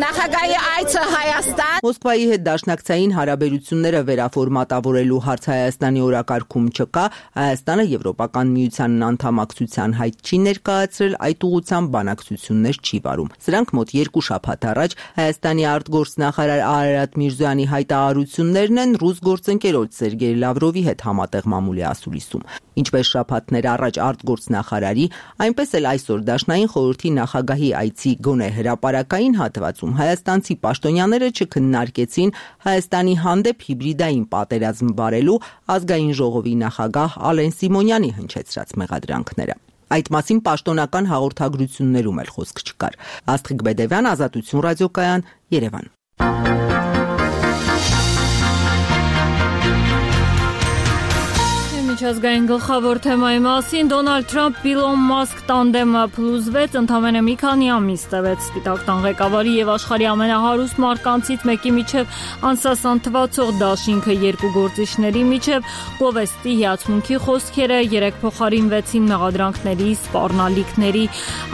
Speaker 21: նախագահի այցը Հայաստան։
Speaker 4: Մոսկվայի հետ դաշնակցային հարաբերությունները վերաֆորմատավորելու հարց Հայաստանի օրակարգում չկա, Հայաստանը Եվրոպական միությանն անդամակցության հայտ չի ներկայացրել, այդ ուղղությամբ բանակցություններ չի վարում։ Սրանք մոտ երկու շաբաթ առաջ Հայաստանի արտգործնախարար Արարատ Միրզոյանի հայտարարություններն են ռուս գործընկերոջ Սերգեյ Լավրովի հետ համատեղ մամուլի ասուլիսում։ Ինչպես շաբաթներ առաջ արտգործնախարարի, այնպես էլ այսօր Դաշնային խորհրդի նախագահի այցի գոնե հրապարակային հատվածում հայաստանցի պաշտոնյաները չքննարկեցին Հայաստանի հանդեպ հիբրիդային պատերազմ վարելու ազգային ժողովի նախագահ Ալեն Սիմոնյանի հնչեցրած մեղադրանքները։ Այդ մասին պաշտոնական հաղորդագրություններում էլ խոսք չկար։ Աստղիկ Բեդևյան, Ազատություն ռադիոկայան, Երևան։
Speaker 1: Միջազգային գլխավոր թեմայի մասին Դոնալդ Թրամփ Իլոն Մասկ տանդեմը փլուզվեց, ընդամենը մի քանի ամիս տևեց։ Սպիտակ տան ղեկավարի եւ աշխարհի ամենահարուստ մարկանցից մեկի միջև անսասան թվացող դաշինքը երկու գործիչների միջև գովեստի հիացմունքի խոսքերը երեք փոխարինվեցին մեղադրանքների, սպառնալիքների,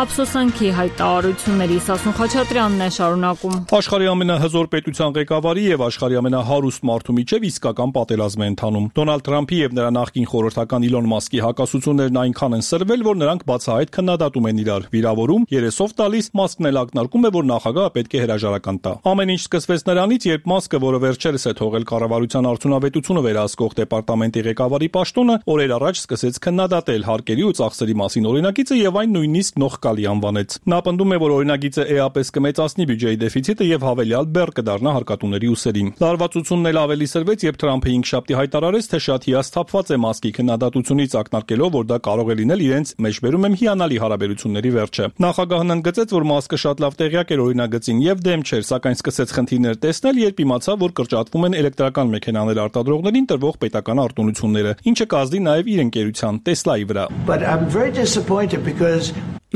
Speaker 1: ափսոսանքի հայտարարությունների։ Սասուն Խաչատրյանն է շարունակում։
Speaker 7: Աշխարհի ամենահզոր պետության ղեկավարի եւ աշխարհի ամենահարուստ մարդու միջև իսկական պատերազմ է ընթանում։ Դոնալդ Թրամփի եւ նրա նախկին խորհրդական Իլոն Մասկի հակասություններն այնքան են սրվել, որ նրանք բացահայտ քննադատում են իրար, վիրավորում, երեսով տալիս, Մասկն էլ ակնարկում է, որ նախագահը պետք է հրաժարական տա։ Ամեն ինչ սկսվեց նրանից, երբ Մասկը, որը վերջերս է թողել կառավարության արդյունավետությունը վերահսկող դեպարտամենտի ղեկավարի պաշտոնը, օրեր առաջ սկսեց քննադատել հարկերի ու ծախսերի մասին օրինագիծը եւ այն նույնիսկ նողկալի անվանեց։ Նա պնդում է, որ օրինագիծը էապես կմեծացնի բյուջեի դեֆիցիտը եւ հավելյալ բեռ կդառնա հարկատուների ուսերին։ Լարվածությունն էլ ավելի սրվեց, երբ Թրամփը հինգշաբթի հայտարարեց, թե շատ հիասթափված է Մասկի քննադատությունից, ակնարկելով, որ դա կարող է լինել իրենց մեջբերում եմ հիանալի հարաբերությունների վերջը։ Նախագահն ընդգծեց, որ Մասկը շատ լավ տեղյակ էր օրինագծին եւ դեմ չէր, սակայն սկսեց խնդիրներ տեսնել, երբ իմացավ, որ կրճատվում են էլեկտրական մեքենաներ արտադրողներին տրվող պետական արտոնությունները, ինչը կազդի նաեւ իր ընկերության Տեսլայի վրա։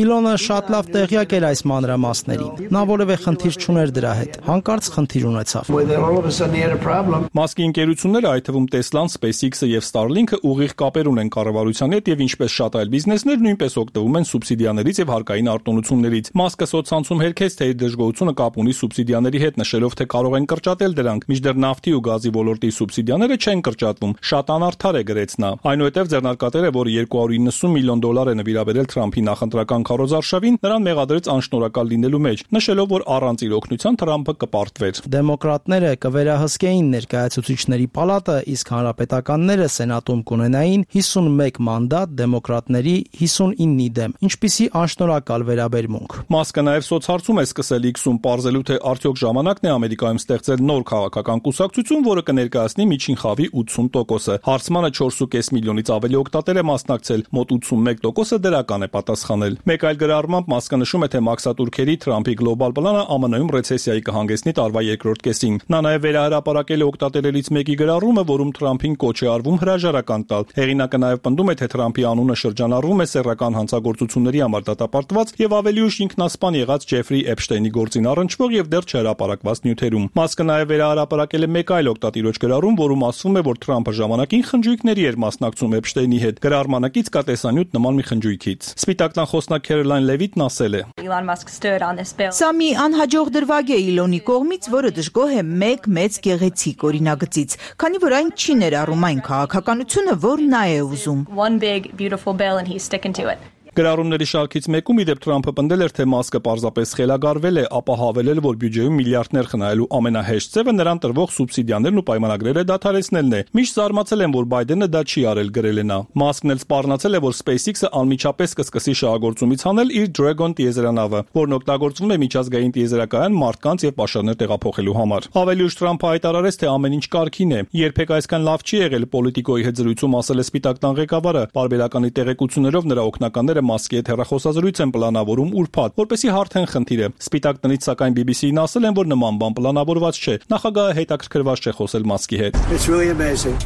Speaker 8: Իլոնը շատ լավ տեղյակ էր այս մանրամասներին։ Նա որևէ խնդիր չուներ դրա հետ։ Հանկարծ խնդիր ունեցավ։
Speaker 7: Մասկի ընկերությունները, այդ թվում Տեսլան, SpaceX-ը եւ Starlink-ը ուղիղ կապեր ունեն կառավարության հետ եւ ինչպես շատ այլ բիզնեսներ նույնպես օգտվում են սուբսիդիաներից եւ հարկային արտոնություններից։ Մասկը սոցցանցում հերքեց, թե իր դժգոհությունը կապ ունի սուբսիդիաների հետ, նշելով, թե կարող են կրճատել դրանք, մինչդեռ նավթի ու գազի ոլորտի սուբսիդիաները չեն կրճատվում։ Շատ անարդար է, գրեց նա։ Այնուհետև ձեռնարկատերը, որը երկու հարյուր իննսուն միլիոն դոլար է նվիրաբերել Թրամփի նախընտրական քարոզարշավին, նրան մեղադրեց անշնորհակալ լինելու մեջ, նշելով, որ առանց իր օգնության Թրամփը կպարտվեր։
Speaker 8: Դեմոկրատները կվերահսկեին ներկայացուցիչների պալատը, իսկ հանրապետականները սենատում կունենային հիսունմեկ մանդատ դեմոկրատների հիսունինի դեմ։ Ինչպիսի անշնորհակալ վերաբերմունք։
Speaker 7: Մասկը նաև սոցհարցում է սկսել X-ում պարզելու, թե արդյոք ժամանակն է Ամերիկայում ստեղծել նոր քաղաքական կուսակցություն, որը կներկայացնի միջին խավի ութսուն տոկոսը։ Հարցմանը չորս ու կես միլիոնից ավելի օգտատեր է մասնակցել, մոտ ութսունմեկ տոկոսը դրական է պատասխանել։ Մեկ այլ գրառմամբ Մասկը նշում է, թե մաքսատուրքերի Թրամփի գլոբալ պլանը ԱՄՆ-ում ռեցեսիայի կհանգեցնի տարվա երկրորդ կեսին։ Նա նաև վերահրապարակել է օգտատերերից մեկի գրառումը, որում Թրամփին կոչ է արվում հրաժարական տալ։ Հեղինակը նաև պնդում է, թե Թրամփի անունը շրջանառվում է սեռական հանցագործությունների համար դատապարտված եւ ավելի ուշ ինքնասպան եղած Ջեֆրի Էփշտեյնի գործին առնչվող եւ դեռ չհրապարակված նյութերում։ Մասկը նաև վերահրապարակել է մեկ այլ օգտատիրոջ գրառում, որում ասվում է, որ Թրամփը ժամանակին խնջույքների էր մասնակցում Էփշտեյնի հետ։ Գրառմանակից կա տեսանյութ նման մի խնջույքից։ Սպիտակ տան խոսնակ Քերոլայն Լևիտն ասել է.
Speaker 10: Սա մի անհաջող դրվագ է Իլոնի կողմից, որը դժգոհ է մեկ մեծ գեղեցիկ օրինագծից, քանի որ այն չի ներառում այն քաղաքականությունը, որ նա է ուզում։
Speaker 7: Գրառումների շարքից մեկում ի դեպ Թրամփը պնդել էր, թե Մասկը պարզապես խելագարվել է, ապա հավելել, որ բյուջեում միլիարդներ խնայելու ամենահեշտ ձևը նրան տրվող սուբսիդիաներն ու պայմանագրերը դադարեցնելն է։ Միշտ զարմացել եմ, որ Բայդենը դա չի արել, գրել է նա։ Մասկն էլ սպառնացել է, որ SpaceX-ը անմիջապես կսկսի շահագործումից հանել իր Dragon տիեզերանավը, որն օգտագործվում է միջազգային տիեզերակայան մարդկանց եւ պաշարներ տեղափոխելու համար։ Ավելի ուշ Թրամփը հայտարարեց, թե ամեն ինչ կարգին է։ Երբեք այսքան լավ չի եղել, Պոլիտիկոյի հետ զրույցում ասել է Սպիտակ տան ղեկավարը։ Պարբերականի տեղեկություններով նրա օգնականները Մասկի հետ հեռախոսազրույց են պլանավորում ուրբաթ, որպեսզի հարթեն խնդիրը։ Սպիտակ տնից սակայն բի բի սի-ին ասել են, որ նման բան պլանավորված չէ։ Նախագահը հետաքրքրված չէ խոսել Մասկի հետ։
Speaker 11: It's really amazing.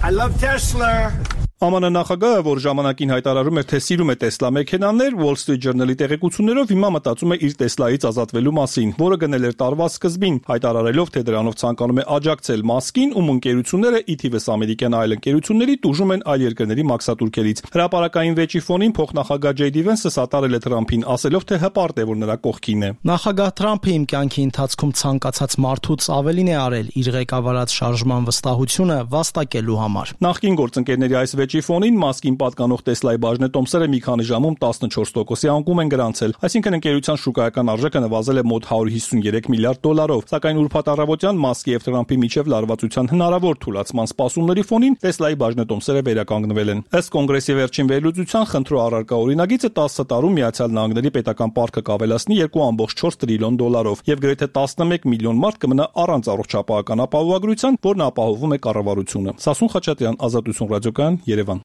Speaker 11: I love Tesla.
Speaker 7: Է մ ն նախագահը, որ ժամանակին հայտարարում էր, թե սիրում է Տեսլա մեքենաներ, Wall Street Journal-ի տեղեկություններով հիմա մտածում է իր Տեսլայից ազատվելու մասին, որը գնել էր տարվա սկզբին, հայտարարելով, թե դրանով ցանկանում է աջակցել Մասկին, ում ընկերությունները ի թիվս ամերիկյան այլ ընկերությունների տուժում են այլ երկրների մաքսատուրքերից։ Հրապարակային վեճի ֆոնին փոխնախագահ Ջեյ Դի Վենսը սատարել է Թրամփին, ասելով, թե հպարտ է, որ նրա կողքին է։
Speaker 8: Նախագահ Թրամփը իմ կյանքի ընթացքում ցանկացած մարդուց ավելին է արել իր ղեկավարած շարժման վստահությունը վաստակելու համար։
Speaker 7: Նախկին գործընկերների այս վեճի ֆոնին Մասկին պատկանող Տեսլայի բաժնետոմսերը մի քանի ժամում տասնչորս տոկոսի անկում են գրանցել, այսինքն ընկերության շուկայական արժեքը նվազել է մոտ հարյուր հիսունյերեք միլիարդ դոլարով, սակայն ուրբաթ առավոտյան Մասկի եւ Թրամփի միջև լարվածության հնարավոր թուլացման սպասումների ֆոնին Տեսլայի բաժնետոմսերը վերականգնվել են։ Ըստ կոնգրեսի վերջին վերլուծության խնդրու առարկա օրինագիծը տասը տարում Միացյալ Նահանգների պետական պարտքը կավելացնի երկու կόμμα չորս տրիլիոն դոլարով եւ գրեթե տասնմեկ միլիոն մարդ կմնա առանց առողջապահական ապահովագրության, որն ապահովում է կառավարությունը։ Սասուն Խաչատրյան, Ազատություն ռադիոկայան, Երևան։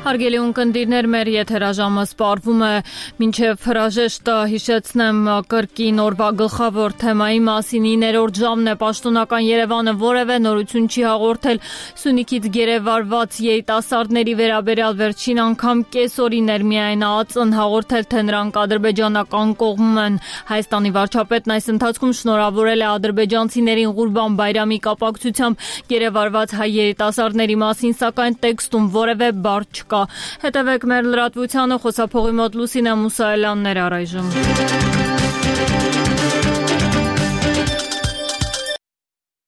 Speaker 1: Հարգելի ունկնդիրներ, մեր եթերաժամը սպառվում է, մինչև հրաժեշտը հիշեցնեմ կրկին օրվա գլխավոր թեմայի մասին։ Իններորդ ժամն է, պաշտոնական Երևանը որևէ նորություն չի հաղորդել Սյունիքից գերեվարված երիտասարդների վերաբերյալ, վերջին անգամ կես օրին էր միայն ԱԱԾ-ն հաղորդել, թե նրանք ադրբեջանական կողմում են։ Հայաստանի վարչապետն այս ընթացքում շնորհավորել է ադրբեջանցիներին Ղուրբան Բայրամի կապակցությամբ գերեվարված հայ երիտասարդների մասին, սակայն տեքստում որևէ բառ չկա։ Հետևեք մեր լրատվությանը, խոսափողի մոտ Լուսինե Մուսայելյանն էր առայժմ։